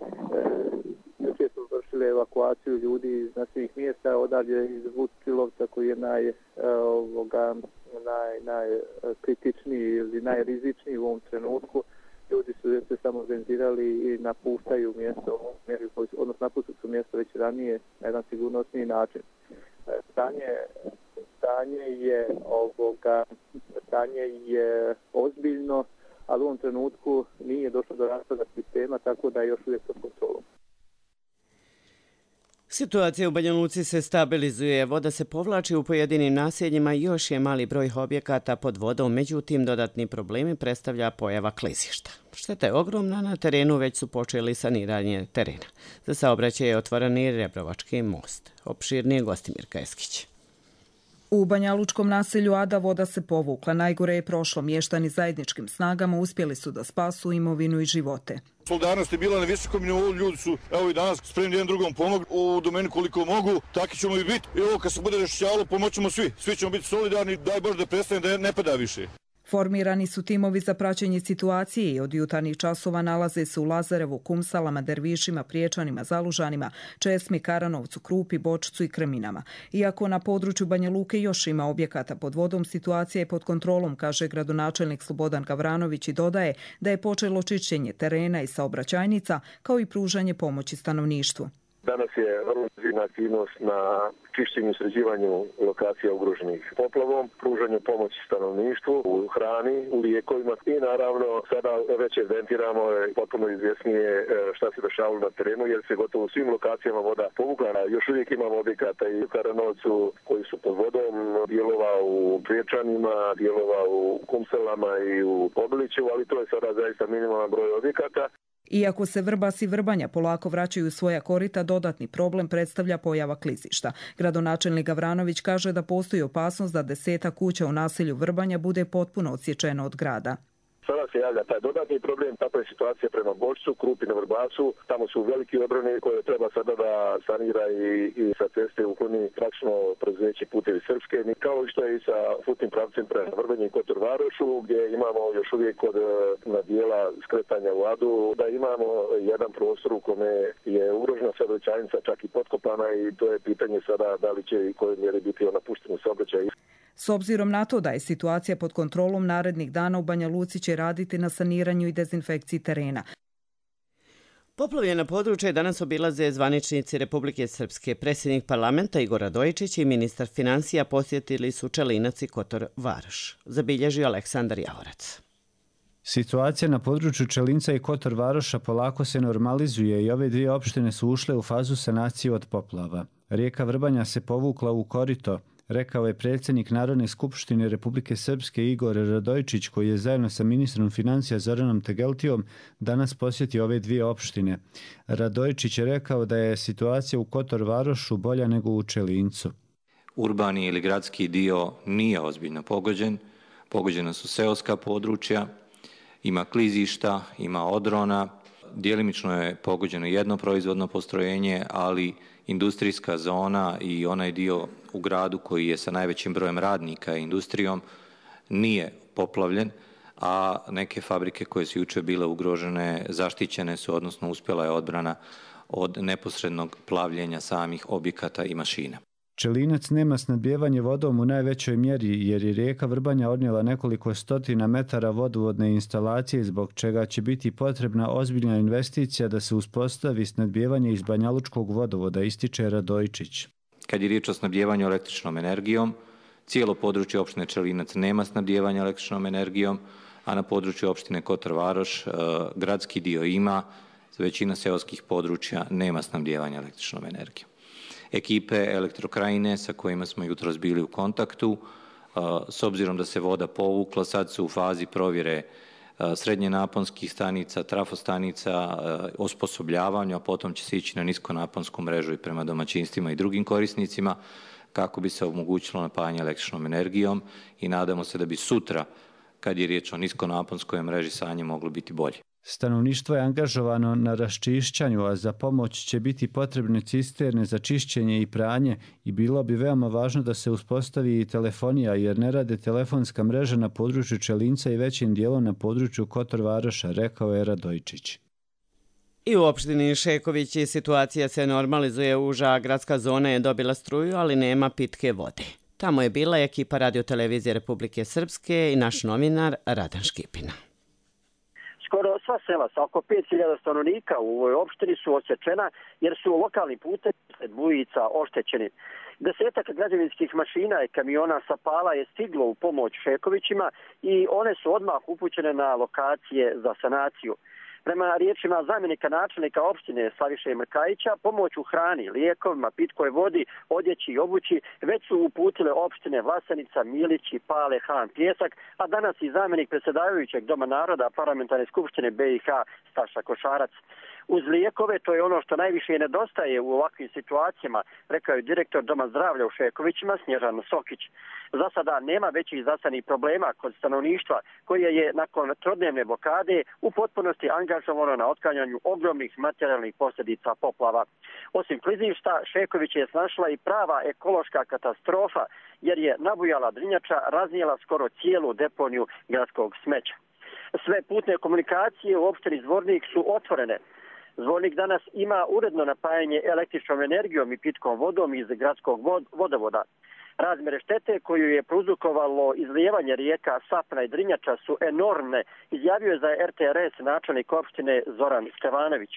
Jučer smo vršili evakuaciju ljudi iz naših mjesta, odavdje iz Vučilovca koji je najkritičniji ili najrizičniji u ovom trenutku. Ljudi su se samo organizirali i napuštaju mjesto, odnosno napuštaju su mjesto već ranije na jedan sigurnosniji način. Stanje je ozbiljno, ali u ovom trenutku nije došlo do raspada sistema, tako da je još uvijek pod kontrolom. Situacija u Banja Luci se stabilizuje, voda se povlači u pojedinim naseljima i još je mali broj objekata pod vodom, međutim dodatni problemi predstavlja pojava klizišta. Šteta je ogromna, na terenu već su počeli saniranje terena. Za saobraćaj je otvoren i Rebrovački most. Opširnije Gostimir Keskić. U banjalučkom naselju Ada voda se povukla. Najgore je prošlo. Mještani zajedničkim snagama uspjeli su da spasu imovinu i živote. Solidarnost je bila na visokom nivou, ljudi su evo i danas spremni jedan drugom pomogli u domeni koliko mogu, taki ćemo i biti. I ovo kad se bude rešćavalo pomoćemo svi ćemo biti solidarni, daj Bože da prestane da ne pada više. Formirani su timovi za praćenje situacije i od jutarnjih časova nalaze se u Lazarevu, Kumsalama, Dervišima, Priječanima, Zalužanima, Česmi, Karanovcu, Krupi, Bočcu i Krminama. Iako na području Banja Luke još ima objekata pod vodom, situacija je pod kontrolom, kaže gradonačelnik Slobodan Gavranović i dodaje da je počelo čišćenje terena i saobraćajnica kao i pružanje pomoći stanovništvu. Danas je vrlo intenzivna aktivnost na čišćenju i sređivanju lokacija ugroženih poplavom, pružanju pomoći stanovništvu, u hrani, u lijekovima i naravno sada već evidentiramo potpuno izvjesnije šta se dešavalo na terenu jer se gotovo u svim lokacijama voda povukla. Još uvijek imamo objekata i u Karanovcu koji su pod vodom, dijelova u Priječanima, dijelova u Kumselama i u Obiliću, ali to je sada zaista minimalan broj objekata. Iako se Vrbas i Vrbanja polako vraćaju u svoja korita, dodatni problem predstavlja pojava klizišta. Gradonačelnik Gavranović kaže da postoji opasnost da 10 kuća u naselju Vrbanja bude potpuno odsječeno od grada. Sada se javlja taj dodatni problem, takva je situacija prema Bočcu, Krupi na Vrbasu, tamo su veliki odbrani koje treba sada da sanira i sa ceste ukloni praktično preduzeće Putevi Srpske, kao što je i sa putnim pravcem prema Vrbenju i Kotor Varošu, gdje imamo još uvijek kod na dijela skretanja u Adu, da imamo jedan prostor u kome je ugrožena saobraćajnica čak i potkopana i to je pitanje sada da li će i koje mjere biti napušteno saobraćaj. S obzirom na to da je situacija pod kontrolom, narednih dana u Banja Luci će raditi na saniranju i dezinfekciji terena. Poplavljena područja danas obilaze zvaničnici Republike Srpske. Predsjednik parlamenta Igor Radojičić i ministar financija posjetili su Čelinac i Kotor Varoš. Zabilježio Aleksandar Javorac. Situacija na području Čelinca i Kotor Varoša polako se normalizuje i ove dvije opštine su ušle u fazu sanacije od poplava. Rijeka Vrbanja se povukla u korito, rekao je predsjednik Narodne skupštine Republike Srpske Igor Radojičić, koji je zajedno sa ministrom financija Zoranom Tegeltijom danas posjetio ove dvije opštine. Radojičić je rekao da je situacija u Kotor Varošu bolja nego u Čelincu. Urbani ili gradski dio nije ozbiljno pogođen. Pogođena su seoska područja, ima klizišta, ima odrona. Djelimično je pogođeno jedno proizvodno postrojenje, ali industrijska zona i onaj dio u gradu koji je sa najvećim brojem radnika i industrijom nije poplavljen, a neke fabrike koje su jučer bile ugrožene zaštićene su, odnosno uspjela je odbrana od neposrednog plavljenja samih objekata i mašina. Čelinac nema snabdijevanje vodom u najvećoj mjeri jer je rijeka Vrbanja odnijela nekoliko stotina metara vodovodne instalacije, zbog čega će biti potrebna ozbiljna investicija da se uspostavi snabdijevanje iz banjalučkog vodovoda, ističe Radojičić. Kad je riječ o snabdijevanju električnom energijom, cijelo područje opštine Čelinac nema snabdijevanja električnom energijom, a na području opštine Kotor Varoš gradski dio ima, većina seoskih područja nema snabdijevanja električnom energijom. Ekipe Elektrokrajine sa kojima smo jutros bili u kontaktu S obzirom da se voda povukla, sad su u fazi provjere srednje naponskih stanica, trafostanica, osposobljavanja, a potom će se ići na niskonaponsku mrežu i prema domaćinstvima i drugim korisnicima kako bi se omogućilo napajanje električnom energijom i nadamo se da bi sutra, kad je riječ o niskonaponskoj mreži, stanje moglo biti bolje. Stanovništvo je angažovano na raščišćanju, a za pomoć će biti potrebne cisterne za čišćenje i pranje i bilo bi veoma važno da se uspostavi i telefonija jer ne rade telefonska mreža na području Čelinca i većim dijelom na području Kotor Varoša, rekao je Radojčić. I u opštini Šeković situacija se normalizuje, uža gradska zona je dobila struju, ali nema pitke vode. Tamo je bila ekipa radiotelevizije Republike Srpske i naš novinar Radan Škipina. Skoro sva sela sa oko 5000 stanovnika u ovoj opštini su odsječena jer su lokalni putevi sred bujica oštećeni. Desetak građevinskih mašina i kamiona sa pala je stiglo u pomoć Šekovićima i one su odmah upućene na lokacije za sanaciju. Prema riječima zamjenika načelnika opštine Slaviše Mrkajića, pomoć u hrani, lijekovima, pitkoj vodi, odjeći i obući već su uputile opštine Vlasenica, Milić i Pale, Han, Pjesak, a danas i zamjenik predsjedavajućeg Doma naroda Parlamentarne skupštine BiH Staša Košarac. Uz lijekove, to je ono što najviše nedostaje u ovakvim situacijama, rekao je direktor Doma zdravlja u Šekovićima Snježan Sokić. Za sada nema većih zasadnih problema kod stanovništva koje je nakon trodnevne blokade u potpunosti angažovano na otklanjanju ogromnih materijalnih posljedica poplava. Osim klizišta, Šeković je snašla i prava ekološka katastrofa jer je nabujala Drinjača raznijela skoro cijelu deponiju gradskog smeća. Sve putne komunikacije u opštini Zvornik su otvorene. Zvornik danas ima uredno napajanje električnom energijom i pitkom vodom iz gradskog vodovoda. Razmjere štete koju je prouzrokovalo izlijevanje rijeka Sapna i Drinjača su enormne, izjavio je za RTRS načelnik opštine Zoran Stevanović.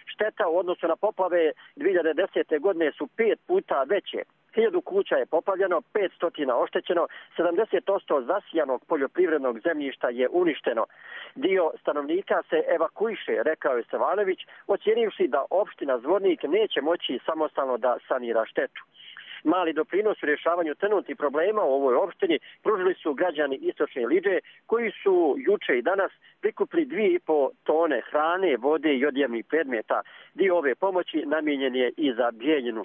Šteta u odnosu na poplave 2010. godine su 5 puta veće. 1000 kuća je poplavljeno, 500 oštećeno, 70% zasijanog poljoprivrednog zemljišta je uništeno. Dio stanovnika se evakuiše, rekao je Stevanović, ocjenivši da opština Zvornik neće moći samostalno da sanira štetu. Mali doprinos u rješavanju trenutnih problema u ovoj opštini pružili su građani Istočne Liđe koji su juče i danas prikupili 2,5 tone hrane, vode i odjevnih predmeta. Dio ove pomoći namijenjen je i za Bijeljinu.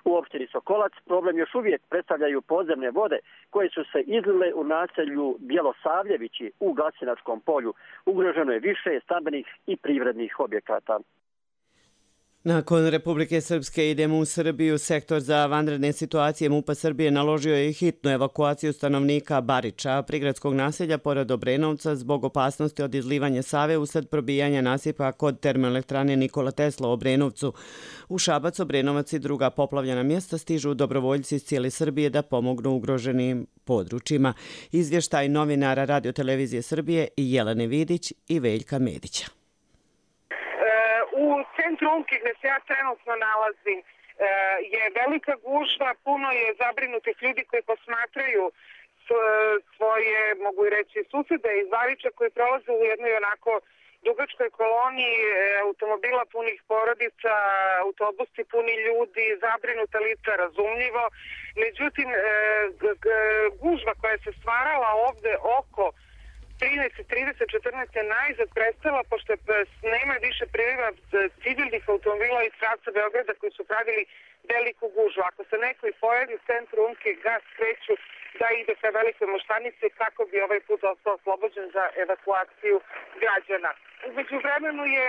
U opštini Sokolac problem još uvijek predstavljaju podzemne vode koje su se izlile u naselju Bjelosavljevići u Glasinačkom polju. Ugroženo je više stambenih i privrednih objekata. Nakon Republike Srpske idemo u Srbiju. Sektor za vanredne situacije MUP-a Srbije naložio je hitnu evakuaciju stanovnika Bariča, prigradskog naselja pored Obrenovca, zbog opasnosti od izlivanja Save usled probijanja nasipa kod termoelektrane Nikola Tesla u Obrenovcu. U Šabac, Obrenovac i druga poplavljena mjesta stižu dobrovoljci iz cijele Srbije da pomognu ugroženim područjima. Izvještaj novinara radiotelevizije Srbije Jelene Vidić i Veljka Medića. U centru Umke gdje se ja trenutno nalazim je velika gužva, puno je zabrinutih ljudi koji posmatraju svoje, mogu i reći, susede iz Bariča koji prolaze u jednoj onako dugačkoj koloniji automobila punih porodica, autobusi puni ljudi, zabrinuta lica, razumljivo. Međutim, gužva koja se stvarala ovde oko 13, 30, 14 je najzad prestala, pošto nema više priliva civilnih automobila iz pravca Beograda koji su pravili veliku gužvu. Ako se neko i pojavi u centru Umke, gas kreću da ide ka Velikoj Moštanici kako bi ovaj put ostao oslobođen za evakuaciju građana. Umeđu vremenu je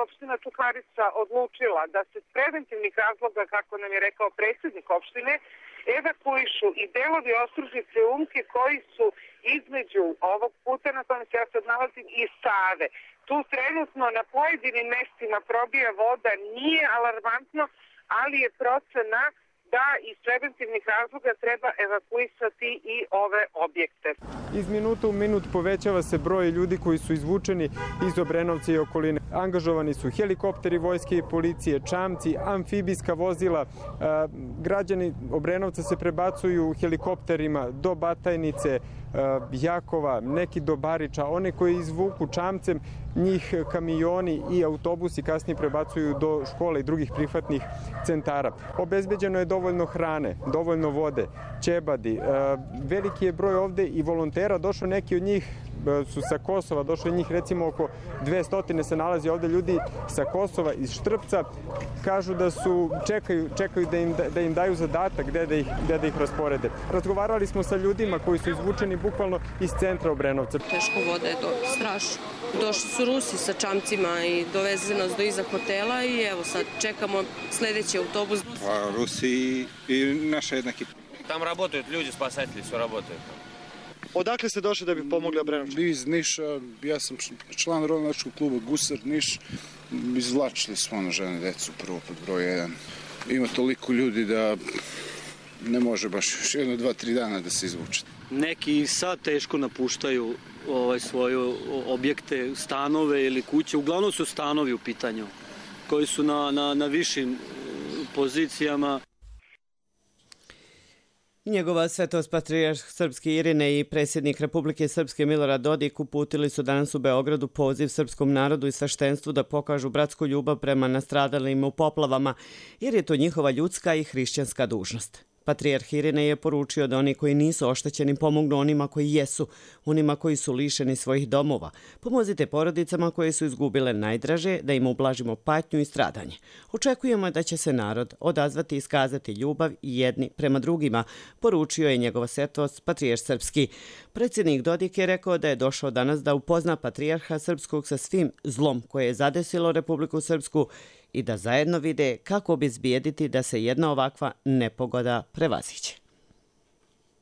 opština Čukarica odlučila da se s preventivnih razloga, kako nam je rekao predsjednik opštine, evakuišu i delovi Ostružnice Umke koji su između ovog puta na kojem se ja sad nalazim i Save. Tu trenutno na pojedinim mestima probija voda, nije alarmantno, ali je procena da iz preventivnih razloga treba evakuisati i ove objekte. Iz minuta u minut povećava se broj ljudi koji su izvučeni iz Obrenovca i okoline. Angažovani su helikopteri vojske i policije, čamci, amfibijska vozila. Građani Obrenovca se prebacuju helikopterima do Batajnice, Jakova, neki do Bariča. One koji izvuku čamcem, njih kamioni i autobusi kasnije prebacuju do škole i drugih prihvatnih centara. Obezbeđeno je dovoljno hrane, dovoljno vode, ćebadi. Veliki je broj ovde i volontera. Došao neki od njih su sa Kosova, došlo je njih recimo oko 200 se nalazi ovde ljudi sa Kosova, iz Štrpca. Kažu da su, čekaju da im daju zadatak gde da ih rasporede. Razgovarali smo sa ljudima koji su izvučeni bukvalno iz centra Obrenovca. Teško voda je to strašno. Došli su Rusi sa čamcima i doveze nas do iza hotela i evo sad čekamo sledeći autobus. Pa Rusi i naša jednaki. Tam работают люди, спасатели, все работают. Odakle ste došli da bi pomogli Obrenovčanima? Iz Niša, ja sam član ronilačkog kluba Gusar Niš. Izvlačili smo žene, decu prvo pod broj 1. Ima toliko ljudi da ne može baš još 1, 2, 3 dana da se izvuče. Neki sad teško napuštaju svoje objekte, stanove ili kuće. Uglavnom su stanovi u pitanju koji su na višim pozicijama. Njegova svetost patrijarh Srpske Irine i predsjednik Republike Srpske Milorad Dodik uputili su danas u Beogradu poziv srpskom narodu i sveštenstvu da pokažu bratsku ljubav prema nastradalima u poplavama, jer je to njihova ljudska i hrišćanska dužnost. Patrijarh Irine je poručio da oni koji nisu oštećeni pomognu onima koji jesu, onima koji su lišeni svojih domova. Pomozite porodicama koje su izgubile najdraže, da im ublažimo patnju i stradanje. Očekujemo da će se narod odazvati i iskazati ljubav jedni prema drugima, poručio je njegova svetost patrijarh Srpski. Predsjednik Dodik je rekao da je došao danas da upozna patrijarha Srpskog sa svim zlom koje je zadesilo Republiku Srpsku i da zajedno vide kako obezbijediti da se jedna ovakva nepogoda prevaziđe.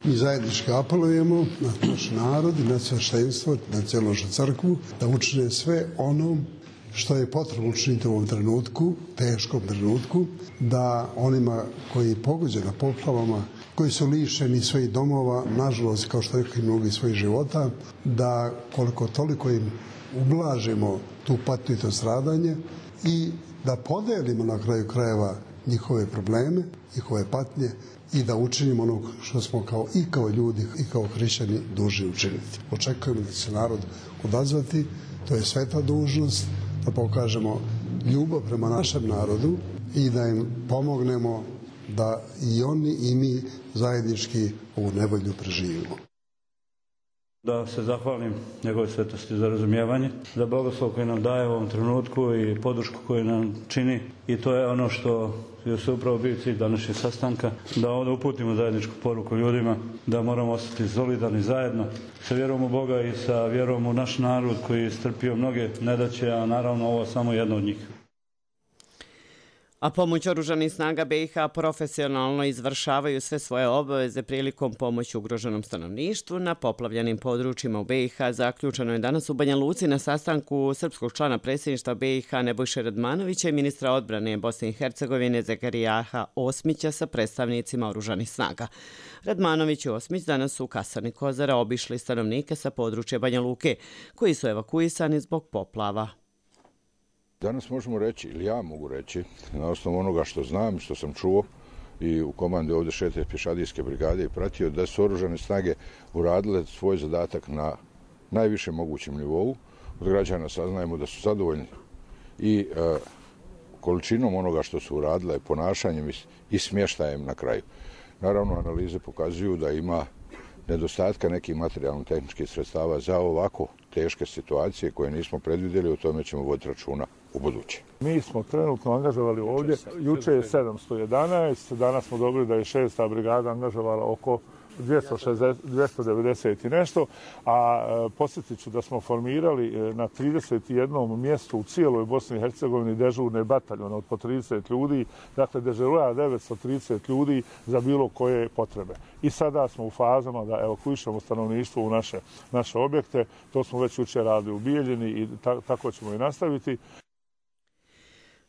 Mi zajednički apelujemo na naš narod i na sveštenstvo, na cijelu crkvu, da učine sve ono što je potrebno učiniti u ovom trenutku, teškom trenutku, da onima koji je pogođena poplavama, koji su lišeni svojih domova, nažalost, kao što rekli mnogi svojih života, da koliko toliko im ublažimo tu patnju i to stradanje i da podelimo na kraju krajeva njihove probleme, njihove patnje i da učinimo ono što smo kao ljudi i kao hrišćani dužni učiniti. Očekujemo da će se narod odazvati, to je sveta dužnost, da pokažemo ljubav prema našem narodu i da im pomognemo da i oni i mi zajednički ovu nevolju preživimo. Da se zahvalim njegove svetosti za razumijevanje, za blagoslov koji nam daje u ovom trenutku i podršku koju nam čini. I to je ono što je se upravo bio cilj današnjeg sastanka, da ovdje uputimo zajedničku poruku ljudima, da moramo ostati solidarni zajedno sa vjerom u Boga i sa vjerom u naš narod koji je strpio mnoge nedaće, a naravno ovo samo jedno od njih. A pomoć oružanih snaga BiH profesionalno izvršavaju sve svoje obaveze prilikom pomoći ugroženom stanovništvu na poplavljenim područjima u BiH. Zaključeno je danas u Banja Luci na sastanku srpskog člana predsjedništva BiH Nebojše Radmanovića i ministra odbrane Bosne i Hercegovine Zekerijaha Osmića sa predstavnicima oružanih snaga. Radmanović i Osmić danas su u kasarni Kozara obišli stanovnike sa područja Banja Luke koji su evakuisani zbog poplava. Danas možemo reći, ili ja mogu reći, na osnovu onoga što znam, što sam čuo i u komandi ovdje 6. pješadijske brigade i pratio, da su oružane snage uradile svoj zadatak na najvišem mogućem nivou. Od građana saznajemo da su zadovoljni i količinom onoga što su uradile, ponašanjem i smještajem na kraju. Naravno, analize pokazuju da ima nedostatka nekih materijalno-tehničkih sredstava za ovako teške situacije koje nismo predvidjeli, o tome ćemo voditi računa u buduće. Mi smo trenutno angažovali ovdje, juče je 711, danas smo dobili da je 6. brigada angažovala oko 290 i nešto, a podsjetit ću da smo formirali na 31 mjestu u cijeloj Bosni i Hercegovini dežurne bataljone od po 30 ljudi, dakle dežuruje 930 ljudi za bilo koje potrebe. I sada smo u fazama da evakuišemo stanovništvo u naše objekte, to smo već jučer radili u Bijeljini i tako ćemo i nastaviti.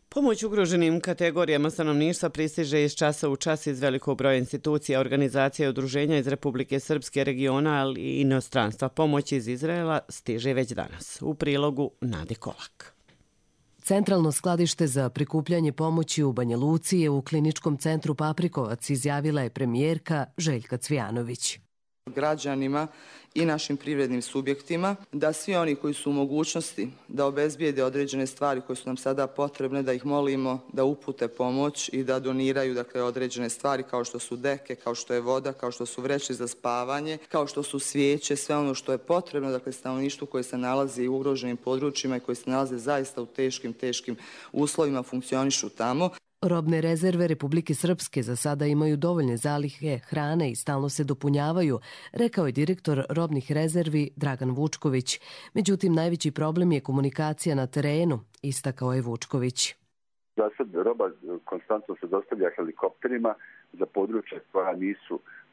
Pomoć ugroženim kategorijama stanovništva pristiže iz časa u čas iz velikog broja institucija, organizacija i udruženja iz Republike Srpske, regiona, ali i inostranstva. Pomoć iz Izraela stiže već danas. U prilogu Nadi Kolak. Centralno skladište za prikupljanje pomoći u Banja Luci je u kliničkom centru Paprikovac, izjavila je premijerka Željka Cvijanović. Građanima i našim privrednim subjektima, da svi oni koji su u mogućnosti da obezbijede određene stvari koje su nam sada potrebne, da ih molimo da upute pomoć i da doniraju određene stvari kao što su deke, kao što je voda, kao što su vreće za spavanje, kao što su svijeće, sve ono što je potrebno stanovništvu koje se nalazi u ugroženim područjima i koji se nalaze zaista u teškim uslovima, funkcionišu tamo. Robne rezerve Republike Srpske za sada imaju dovoljne zalihe hrane i stalno se dopunjavaju, rekao je direktor robnih rezervi Dragan Vučković. Međutim, najveći problem je komunikacija na terenu, istakao je Vučković. Za sad roba konstantno se dostavlja helikopterima za područje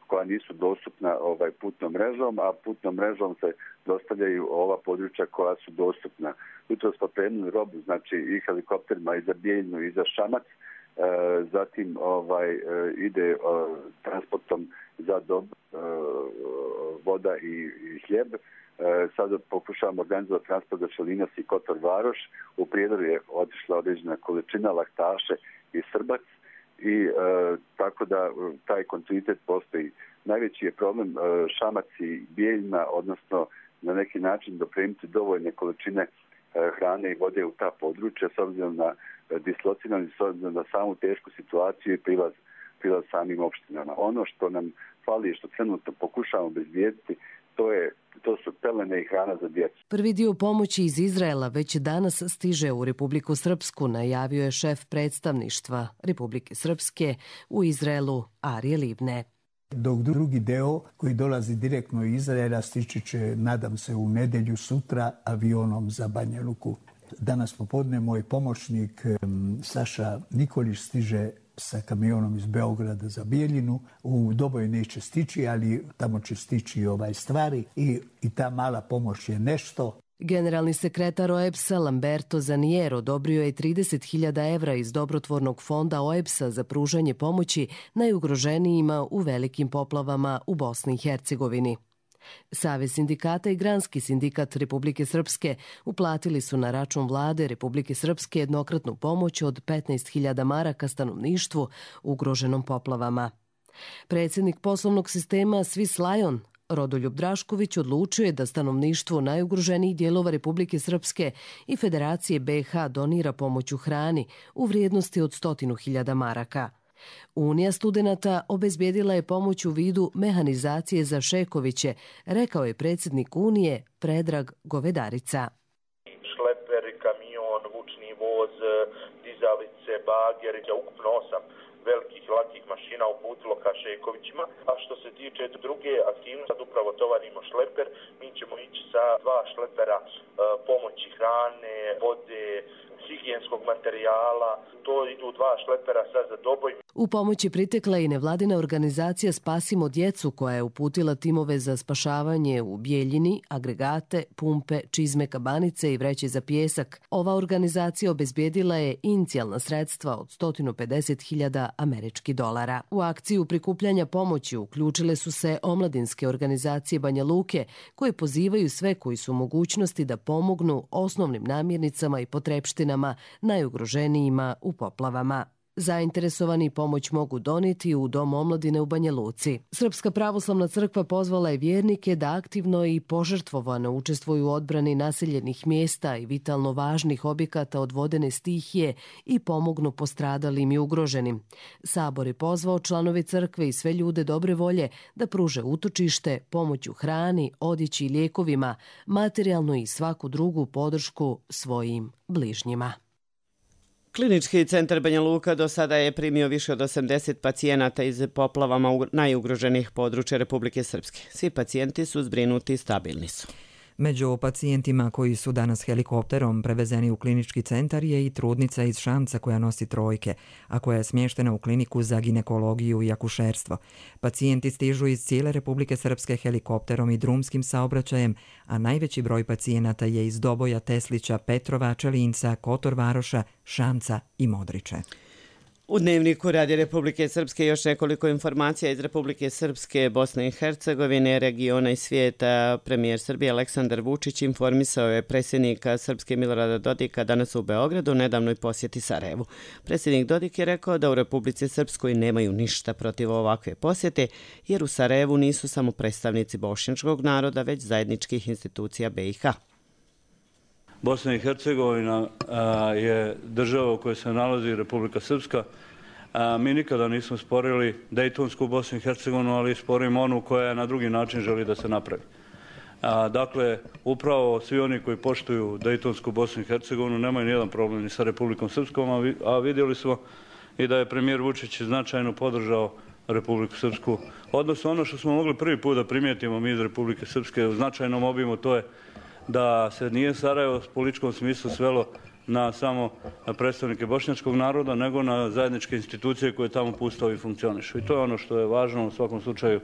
koja nisu dostupna putnom mrežom, a putnom mrežom se dostavljaju ova područja koja su dostupna. Jutros smo prenuli robu, znači i helikopterima i za Bijeljinu i za Šamac, zatim ide transportom za dob, voda i hljeb. Sada pokušavamo organizovati transport za Čelinac i Kotor Varoš. U Prijedoru je otišla određena količina laktaše i Srbac i tako da taj kontinuitet postoji. Najveći je problem Šamac i Bijeljina, odnosno na neki način dopremiti dovoljne količine hrane i vode u ta područja s obzirom na dislociranost, s obzirom na samu tešku situaciju i prilaz samim opštinama. Ono što nam fali i što trenutno pokušavamo obezbijediti, to su pelene i hrana za djecu. Prvi dio pomoći iz Izraela već danas stiže u Republiku Srpsku, najavio je šef predstavništva Republike Srpske u Izraelu Arije Libne. Dok drugi deo koji dolazi direktno iz Izraela stići će, nadam se, u nedjelju sutra avionom za Banja Luku. Danas popodne moj pomoćnik Saša Nikolić stiže sa kamionom iz Beograda za Bijeljinu. U Doboj neće stići, ali tamo će stići stvari i ta mala pomoć je nešto. Generalni sekretar OEBS-a Lamberto Zanier odobrio je 30.000 evra iz dobrotvornog fonda OEBS-a za pružanje pomoći najugroženijima u velikim poplavama u Bosni i Hercegovini. Savez sindikata i Granski sindikat Republike Srpske uplatili su na račun vlade Republike Srpske jednokratnu pomoć od 15.000 maraka stanovništvu ugroženom poplavama. Predsjednik poslovnog sistema Swiss Lion Rodoljub Drašković odlučio je da stanovništvo najugroženijih dijelova Republike Srpske i Federacije BiH donira pomoć u hrani u vrijednosti od 100.000 maraka. Unija studenata obezbijedila je pomoć u vidu mehanizacije za Šekoviće, rekao je predsjednik Unije Predrag Govedarica. Šleper, kamion, vučni voz, dizalice, bager, ukupno 8 velikih i lakih mašina uputilo ka Šekovićima. A što se tiče druge aktivnosti, sad upravo tovarimo šleper, mi ćemo ići sa 2 šlepera pomoći hrane, vode, higijenskog materijala, to idu 2 šlepera sad za Doboj. U pomoć je pritekla i nevladina organizacija Spasimo djecu koja je uputila timove za spašavanje u Bijeljini, agregate, pumpe, čizme, kabanice i vreće za pijesak. Ova organizacija obezbijedila je inicijalna sredstva od 150.000 američkih dolara. U akciju prikupljanja pomoći uključile su se omladinske organizacije Banja Luke koje pozivaju sve koji su u mogućnosti da pomognu osnovnim namirnicama i potrepštinama najugroženijima u poplavama. Zainteresovani pomoć mogu donijeti u Dom omladine u Banja Luci. Srpska pravoslavna crkva pozvala je vjernike da aktivno i požrtvovano učestvuju u odbrani naseljenih mjesta i vitalno važnih objekata od vodene stihije i pomognu postradalim i ugroženim. Sabor je pozvao članove crkve i sve ljude dobre volje da pruže utočište, pomoć u hrani, odjeći i lijekovima, materijalnu i svaku drugu podršku svojim bližnjima. Klinički centar Banja Luka do sada je primio više od 80 pacijenata iz poplavama najugroženih područja Republike Srpske. Svi pacijenti su zbrinuti i stabilni su. Među pacijentima koji su danas helikopterom prevezeni u klinički centar je i trudnica iz Šamca koja nosi trojke, a koja je smještena u kliniku za ginekologiju i akušerstvo. Pacijenti stižu iz cijele Republike Srpske helikopterom i drumskim saobraćajem, a najveći broj pacijenata je iz Doboja, Teslića, Petrova, Čelinca, Kotor Varoša, Šamca i Modriče. U Dnevniku Radija Republike Srpske još nekoliko informacija iz Republike Srpske, Bosne i Hercegovine, regiona i svijeta. Premijer Srbije Aleksandar Vučić informisao je predsjednika Srpske Milorada Dodika danas u Beogradu u nedavnoj posjeti Sarajevu. Predsjednik Dodik je rekao da u Republici Srpskoj nemaju ništa protiv ovakve posjete, jer u Sarajevu nisu samo predstavnici bošnjačkog naroda, već zajedničkih institucija BiH. Bosna i Hercegovina je država u kojoj se nalazi Republika Srpska. Mi nikada nismo sporili Dejtonsku Bosnu i Hercegovinu, ali sporimo onu koja na drugi način želi da se napravi. Dakle, upravo svi oni koji poštuju Dejtonsku Bosnu i Hercegovinu nemaju nijedan problem ni sa Republikom Srpskom, a vidjeli smo i da je premijer Vučić značajno podržao Republiku Srpsku. Odnosno, ono što smo mogli prvi put da primijetimo mi iz Republike Srpske u značajnom obimu, to je da se nije Sarajevo u političkom smislu svelo na samo predstavnike bošnjačkog naroda, nego na zajedničke institucije koje tamo pustao i funkcionišu. I to je ono što je važno u svakom slučaju.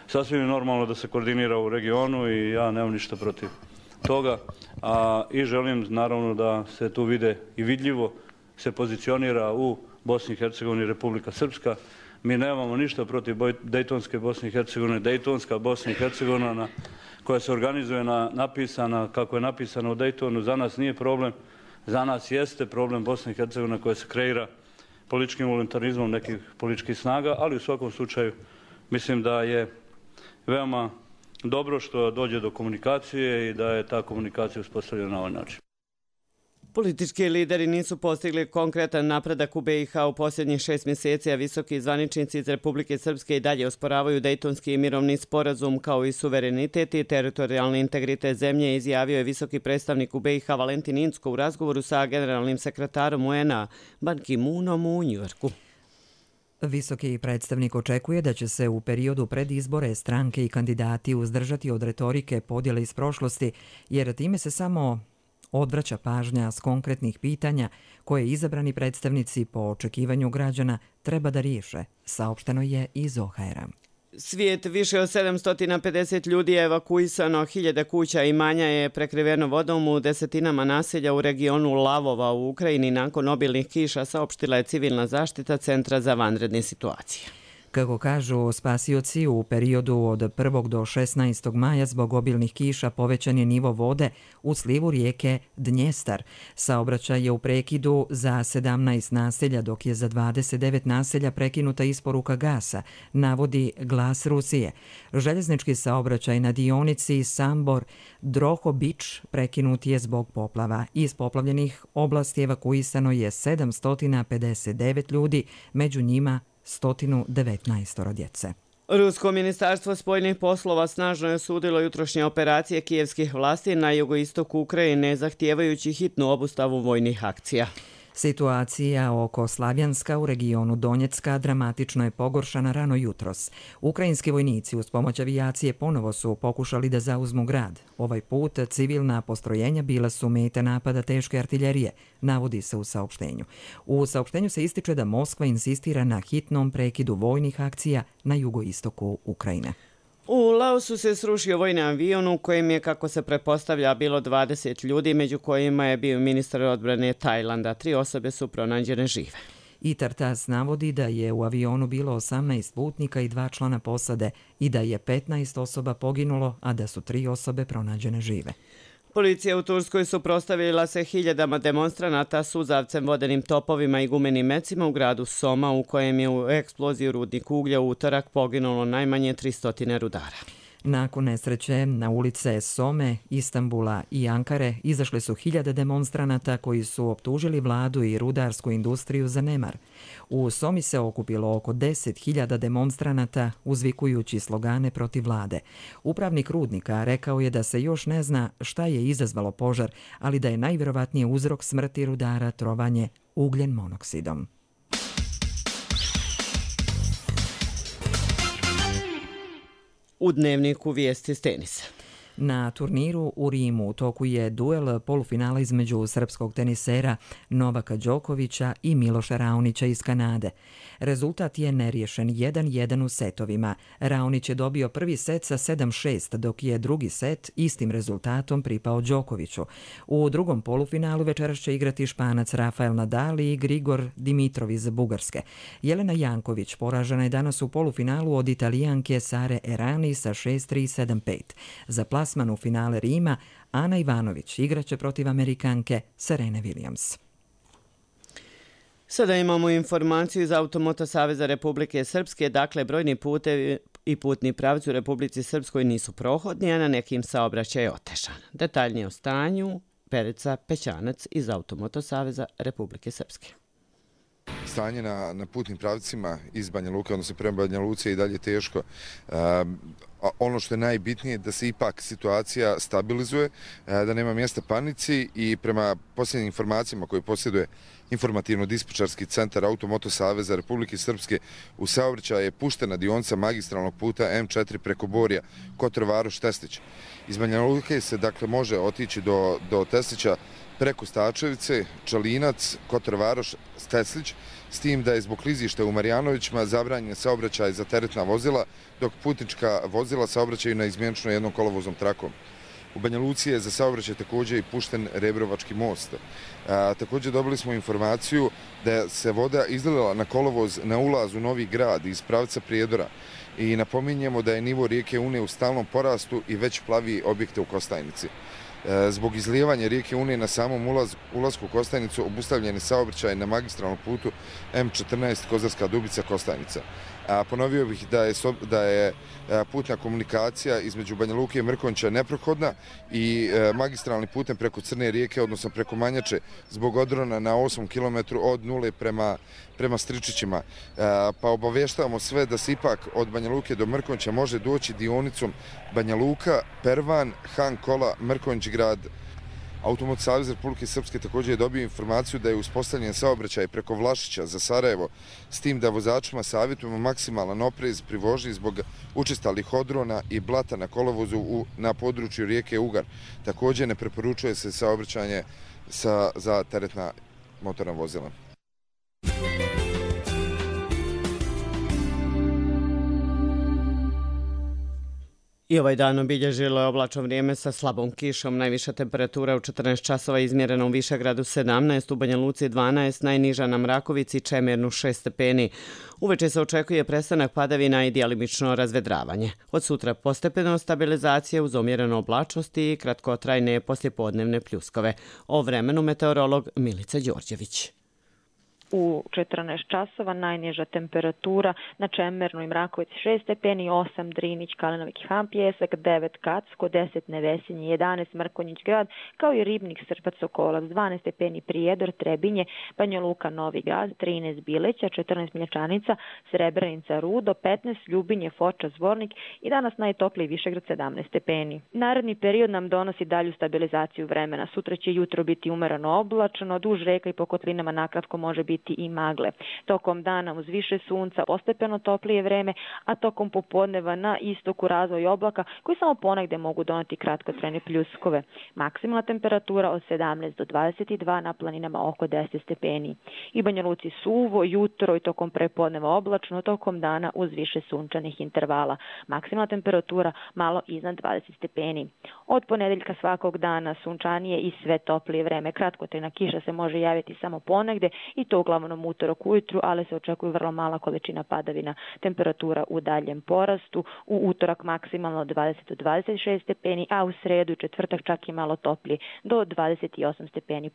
Sasvim je normalno da se koordinira u regionu i ja nemam ništa protiv toga. I želim naravno da se tu vide i vidljivo se pozicionira u Bosni i Hercegovini Republika Srpska. Mi nemamo ništa protiv Dejtonske Bosne i Hercegovine. Dejtonska Bosna i Hercegovina koja se organizuje napisana kako je napisano u Dejtonu, za nas nije problem. Za nas jeste problem Bosna i Hercegovina koja se kreira političkim voluntarizmom nekih političkih snaga, ali u svakom slučaju mislim da je veoma dobro što dođe do komunikacije i da je ta komunikacija uspostavljena na ovaj način. Politički lideri nisu postigli konkretan napredak u BiH u posljednjih 6 mjeseci, a visoki zvaničnici iz Republike Srpske i dalje osporavaju Dejtonski mirovni sporazum kao i suverenitet i teritorijalni integritet zemlje, izjavio je visoki predstavnik u BiH Valentin Incko u razgovoru sa generalnim sekretarom UN-a Ban Ki-moonom u Njujorku. Visoki predstavnik očekuje da će se u periodu pred izbore stranke i kandidati uzdržati od retorike podjele iz prošlosti, jer time se samo odvraća pažnja s konkretnih pitanja koje izabrani predstavnici po očekivanju građana treba da riješe, saopšteno je iz OHR-a. Svijet više od 750 ljudi je evakuisano, 1000 kuća i imanja je prekriveno vodom u desetinama naselja u regionu Lavova u Ukrajini nakon obilnih kiša, saopštila je civilna zaštita Centra za vanredne situacije. Kako kažu spasioci, u periodu od 1. do 16. maja zbog obilnih kiša povećan je nivo vode u slivu rijeke Dnjestar. Saobraćaj je u prekidu za 17 naselja, dok je za 29 naselja prekinuta isporuka gasa, navodi Glas Rusije. Željeznički saobraćaj na dionici Sambor-Drohobić prekinut je zbog poplava. Iz poplavljenih oblasti evakuisano je 759 ljudi, među njima 119 djece. Rusko ministarstvo spoljnih poslova snažno je osudilo jutrošnje operacije kijevskih vlasti na jugoistoku Ukrajine, zahtijevajući hitnu obustavu vojnih akcija. Situacija oko Slavjanska u regionu Donjecka dramatično je pogoršana rano jutros. Ukrajinski vojnici uz pomoć avijacije ponovo su pokušali da zauzmu grad. Ovaj put civilna postrojenja bila su mete napada teške artiljerije, navodi se u saopštenju. U saopštenju se ističe da Moskva insistira na hitnom prekidu vojnih akcija na jugoistoku Ukrajine. U Laosu se srušio vojni avion u kojem je, kako se pretpostavlja, bilo 20 ljudi, među kojima je bio ministar odbrane Tajlanda. 3 osobe su pronađene žive. I Tartas navodi da je u avionu bilo 18 putnika i 2 člana posade i da je 15 osoba poginulo, a da su 3 osobe pronađene žive. Policija u Turskoj suprotstavila se hiljadama demonstranata suzavcem, vodenim topovima i gumenim mecima u gradu Soma, u kojem je u eksploziji rudnika uglja u utorak poginulo najmanje 300 rudara. Nakon nesreće na ulice Some, Istanbula i Ankare izašle su hiljade demonstranata koji su optužili vladu i rudarsku industriju za nemar. U Somi se okupilo oko 10.000 demonstranata uzvikujući slogane protiv vlade. Upravnik rudnika rekao je da se još ne zna šta je izazvalo požar, ali da je najvjerovatnije uzrok smrti rudara trovanje ugljen monoksidom. U Dnevniku vijesti s tenisa. Na turniru u Rimu u toku je duel polufinala između srpskog tenisera Novaka Đokovića i Miloša Raonića iz Kanade. Rezultat je neriješen 1-1 u setovima. Raonić je dobio prvi set sa 7-6, dok je drugi set istim rezultatom pripao Đokoviću. U drugom polufinalu večeras će igrati Španac Rafael Nadal i Grigor Dimitrov iz Bugarske. Jelena Janković poražena je danas u polufinalu od Italijanke Sare Errani sa 6-3, 7-5. Za plasman u finale Rima Ana Ivanović igraće protiv Amerikanke Serene Williams. Sada imamo informaciju iz Automoto Saveza Republike Srpske. Dakle, brojni putevi i putni pravci u Republici Srpskoj nisu prohodni, a na nekim saobraćaj je otežan. Detaljnije o stanju Perica Pećanac iz Automoto Saveza Republike Srpske. Stanje na putnim pravcima iz Banja Luke, odnosno prema Banja Luci, je i dalje teško. Ono što je najbitnije je da se ipak situacija stabilizuje, da nema mjesta panici i prema posljednjim informacijama koje posjeduje informativno-dispečarski centar Automoto Saveza Republike Srpske, u saobraćaj je puštena dionica magistralnog puta M4 preko Borja, Kotor Varoš, Teslić. Iz Banja Luke se dakle može otići do Teslića preko Stačevice, Čalinac, Kotor Varoš, Teslić, s tim da je zbog klizišta u Marijanovićima zabranjen saobraćaj za teretna vozila, dok putnička vozila saobraćaju na izmjenično jednom kolovoznom trakom. U Banja Luci je za saobraćaj također i pušten Rebrovački most. Također dobili smo informaciju da se voda izlila na kolovoz na ulazu u Novi Grad iz pravca Prijedora i napominjemo da je nivo rijeke Une u stalnom porastu i već plavi objekte u Kostajnici. Zbog izlijevanja rijeke Une na samom ulasku u Kostajnicu obustavljen je saobraćaj na magistralnom putu M14 Kozarska Dubica Kostajnica. Ponovio bih da je putna komunikacija između Banja Luke i Mrkonjića neprohodna i magistralni putem preko Crne rijeke, odnosno preko Manjače, zbog odrona na 8 km od Nule prema Stričićima. Pa obavještavamo sve da se ipak od Banja Luke do Mrkonjića može doći dionicom Banja Luka, Pervan, Han Kola, Mrkonjić grad. Automoto Savez Republike Srpske također je dobio informaciju da je uspostavljen saobraćaj preko Vlašića za Sarajevo, s tim da vozačima savjetujemo maksimalan oprez pri vožnji zbog učestalih odrona i blata na kolovozu na području rijeke Ugar. Također ne preporučuje se saobraćanje za teretna motorna vozila. I ovaj dan obilježilo je oblačno vrijeme sa slabom kišom. Najviša temperatura u 14 časova izmjerena u Višegradu 17, u Banja Luci 12, najniža na Mrakovici, Čemernu 6 stepeni. Uveče se očekuje prestanak padavina i djelimično razvedravanje. Od sutra postepeno stabilizacija uz omjerenu oblačnost i kratkotrajne poslijepodnevne pljuskove. O vremenu meteorolog Milica Đorđević. U 14 časova najniža temperatura na Čemernu i Mrakovici 6 stepeni, 8 Drinić, Kalinovik i Han Pjesak, 9 Kacko, 10 Nevesinje, 11 Mrkonjić grad, kao i Ribnik, Srpac, Sokolac, 12 stepeni Prijedor, Trebinje, Banja Luka, Novi grad, 13 Bileća, 14 Miljačanica, Srebrenica, Rudo, 15 Ljubinje, Foča, Zvornik i danas najtopliji Višegrad 17 stepeni. Naredni period nam donosi dalju stabilizaciju vremena. Sutra će jutro biti umereno oblačno, duž reka i po kotlinama nakratko može biti i magle. Tokom dana uz više sunca postepeno toplije vreme, a tokom popodneva na istoku razvoj oblaka koji samo ponegde mogu doneti kratkotrajne pljuskove. Maksimalna temperatura od 17 do 22, na planinama oko 10 stepeni. I Banja Luci suvo, jutro i tokom prepodneva oblačno, tokom dana uz više sunčanih intervala. Maksimalna temperatura malo iznad 20 stepeni. Od ponedeljka svakog dana sunčanije i sve toplije vreme. Kratkotrajna kiša se može javiti samo ponegde i to uglavnom utorak ujutru, ali se očekuje vrlo mala količina padavina. Temperatura u daljem porastu, u utorak maksimalno 20 do 26 stepeni, a u sredu i četvrtak čak i malo toplije, do 28 stepeni.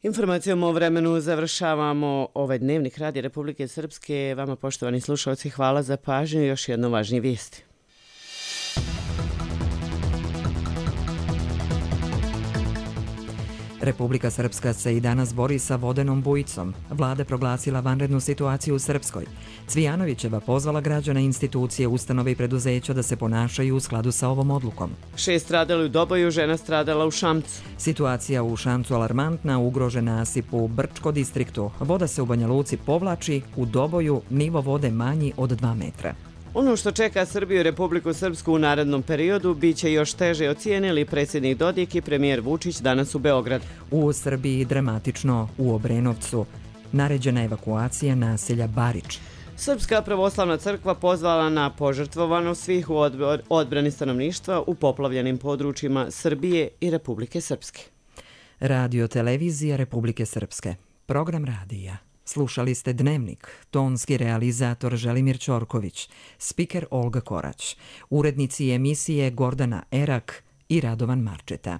Informacijom o vremenu završavamo ovaj dnevnik Radija Republike Srpske. Vama, poštovani slušalci, hvala za pažnju i još jedno važnije vijesti. Republika Srpska se i danas bori sa vodenom bujicom. Vlada proglasila vanrednu situaciju u Srpskoj. Cvijanovićeva pozvala građane, institucije, ustanove i preduzeća da se ponašaju u skladu sa ovom odlukom. 6 stradali u Doboju, žena stradala u Šamcu. Situacija u Šamcu alarmantna, ugrožen nasip u Brčko distriktu. Voda se u Banja Luci povlači, u Doboju nivo vode manji od 2 metra. Ono što čeka Srbiju i Republiku Srpsku u narednom periodu biće još teže, ocijenili predsjednik Dodik i premijer Vučić danas u Beograd. U Srbiji dramatično u Obrenovcu. Naređena evakuacija naselja Barič. Srpska pravoslavna crkva pozvala na požrtvovanost svih u odbrani stanovništva u poplavljenim područjima Srbije i Republike Srpske. Radio televizija Republike Srpske. Program radija. Slušali ste Dnevnik, tonski realizator Želimir Ćorković, spiker Olga Korać, urednici emisije Gordana Erak i Radovan Marčeta.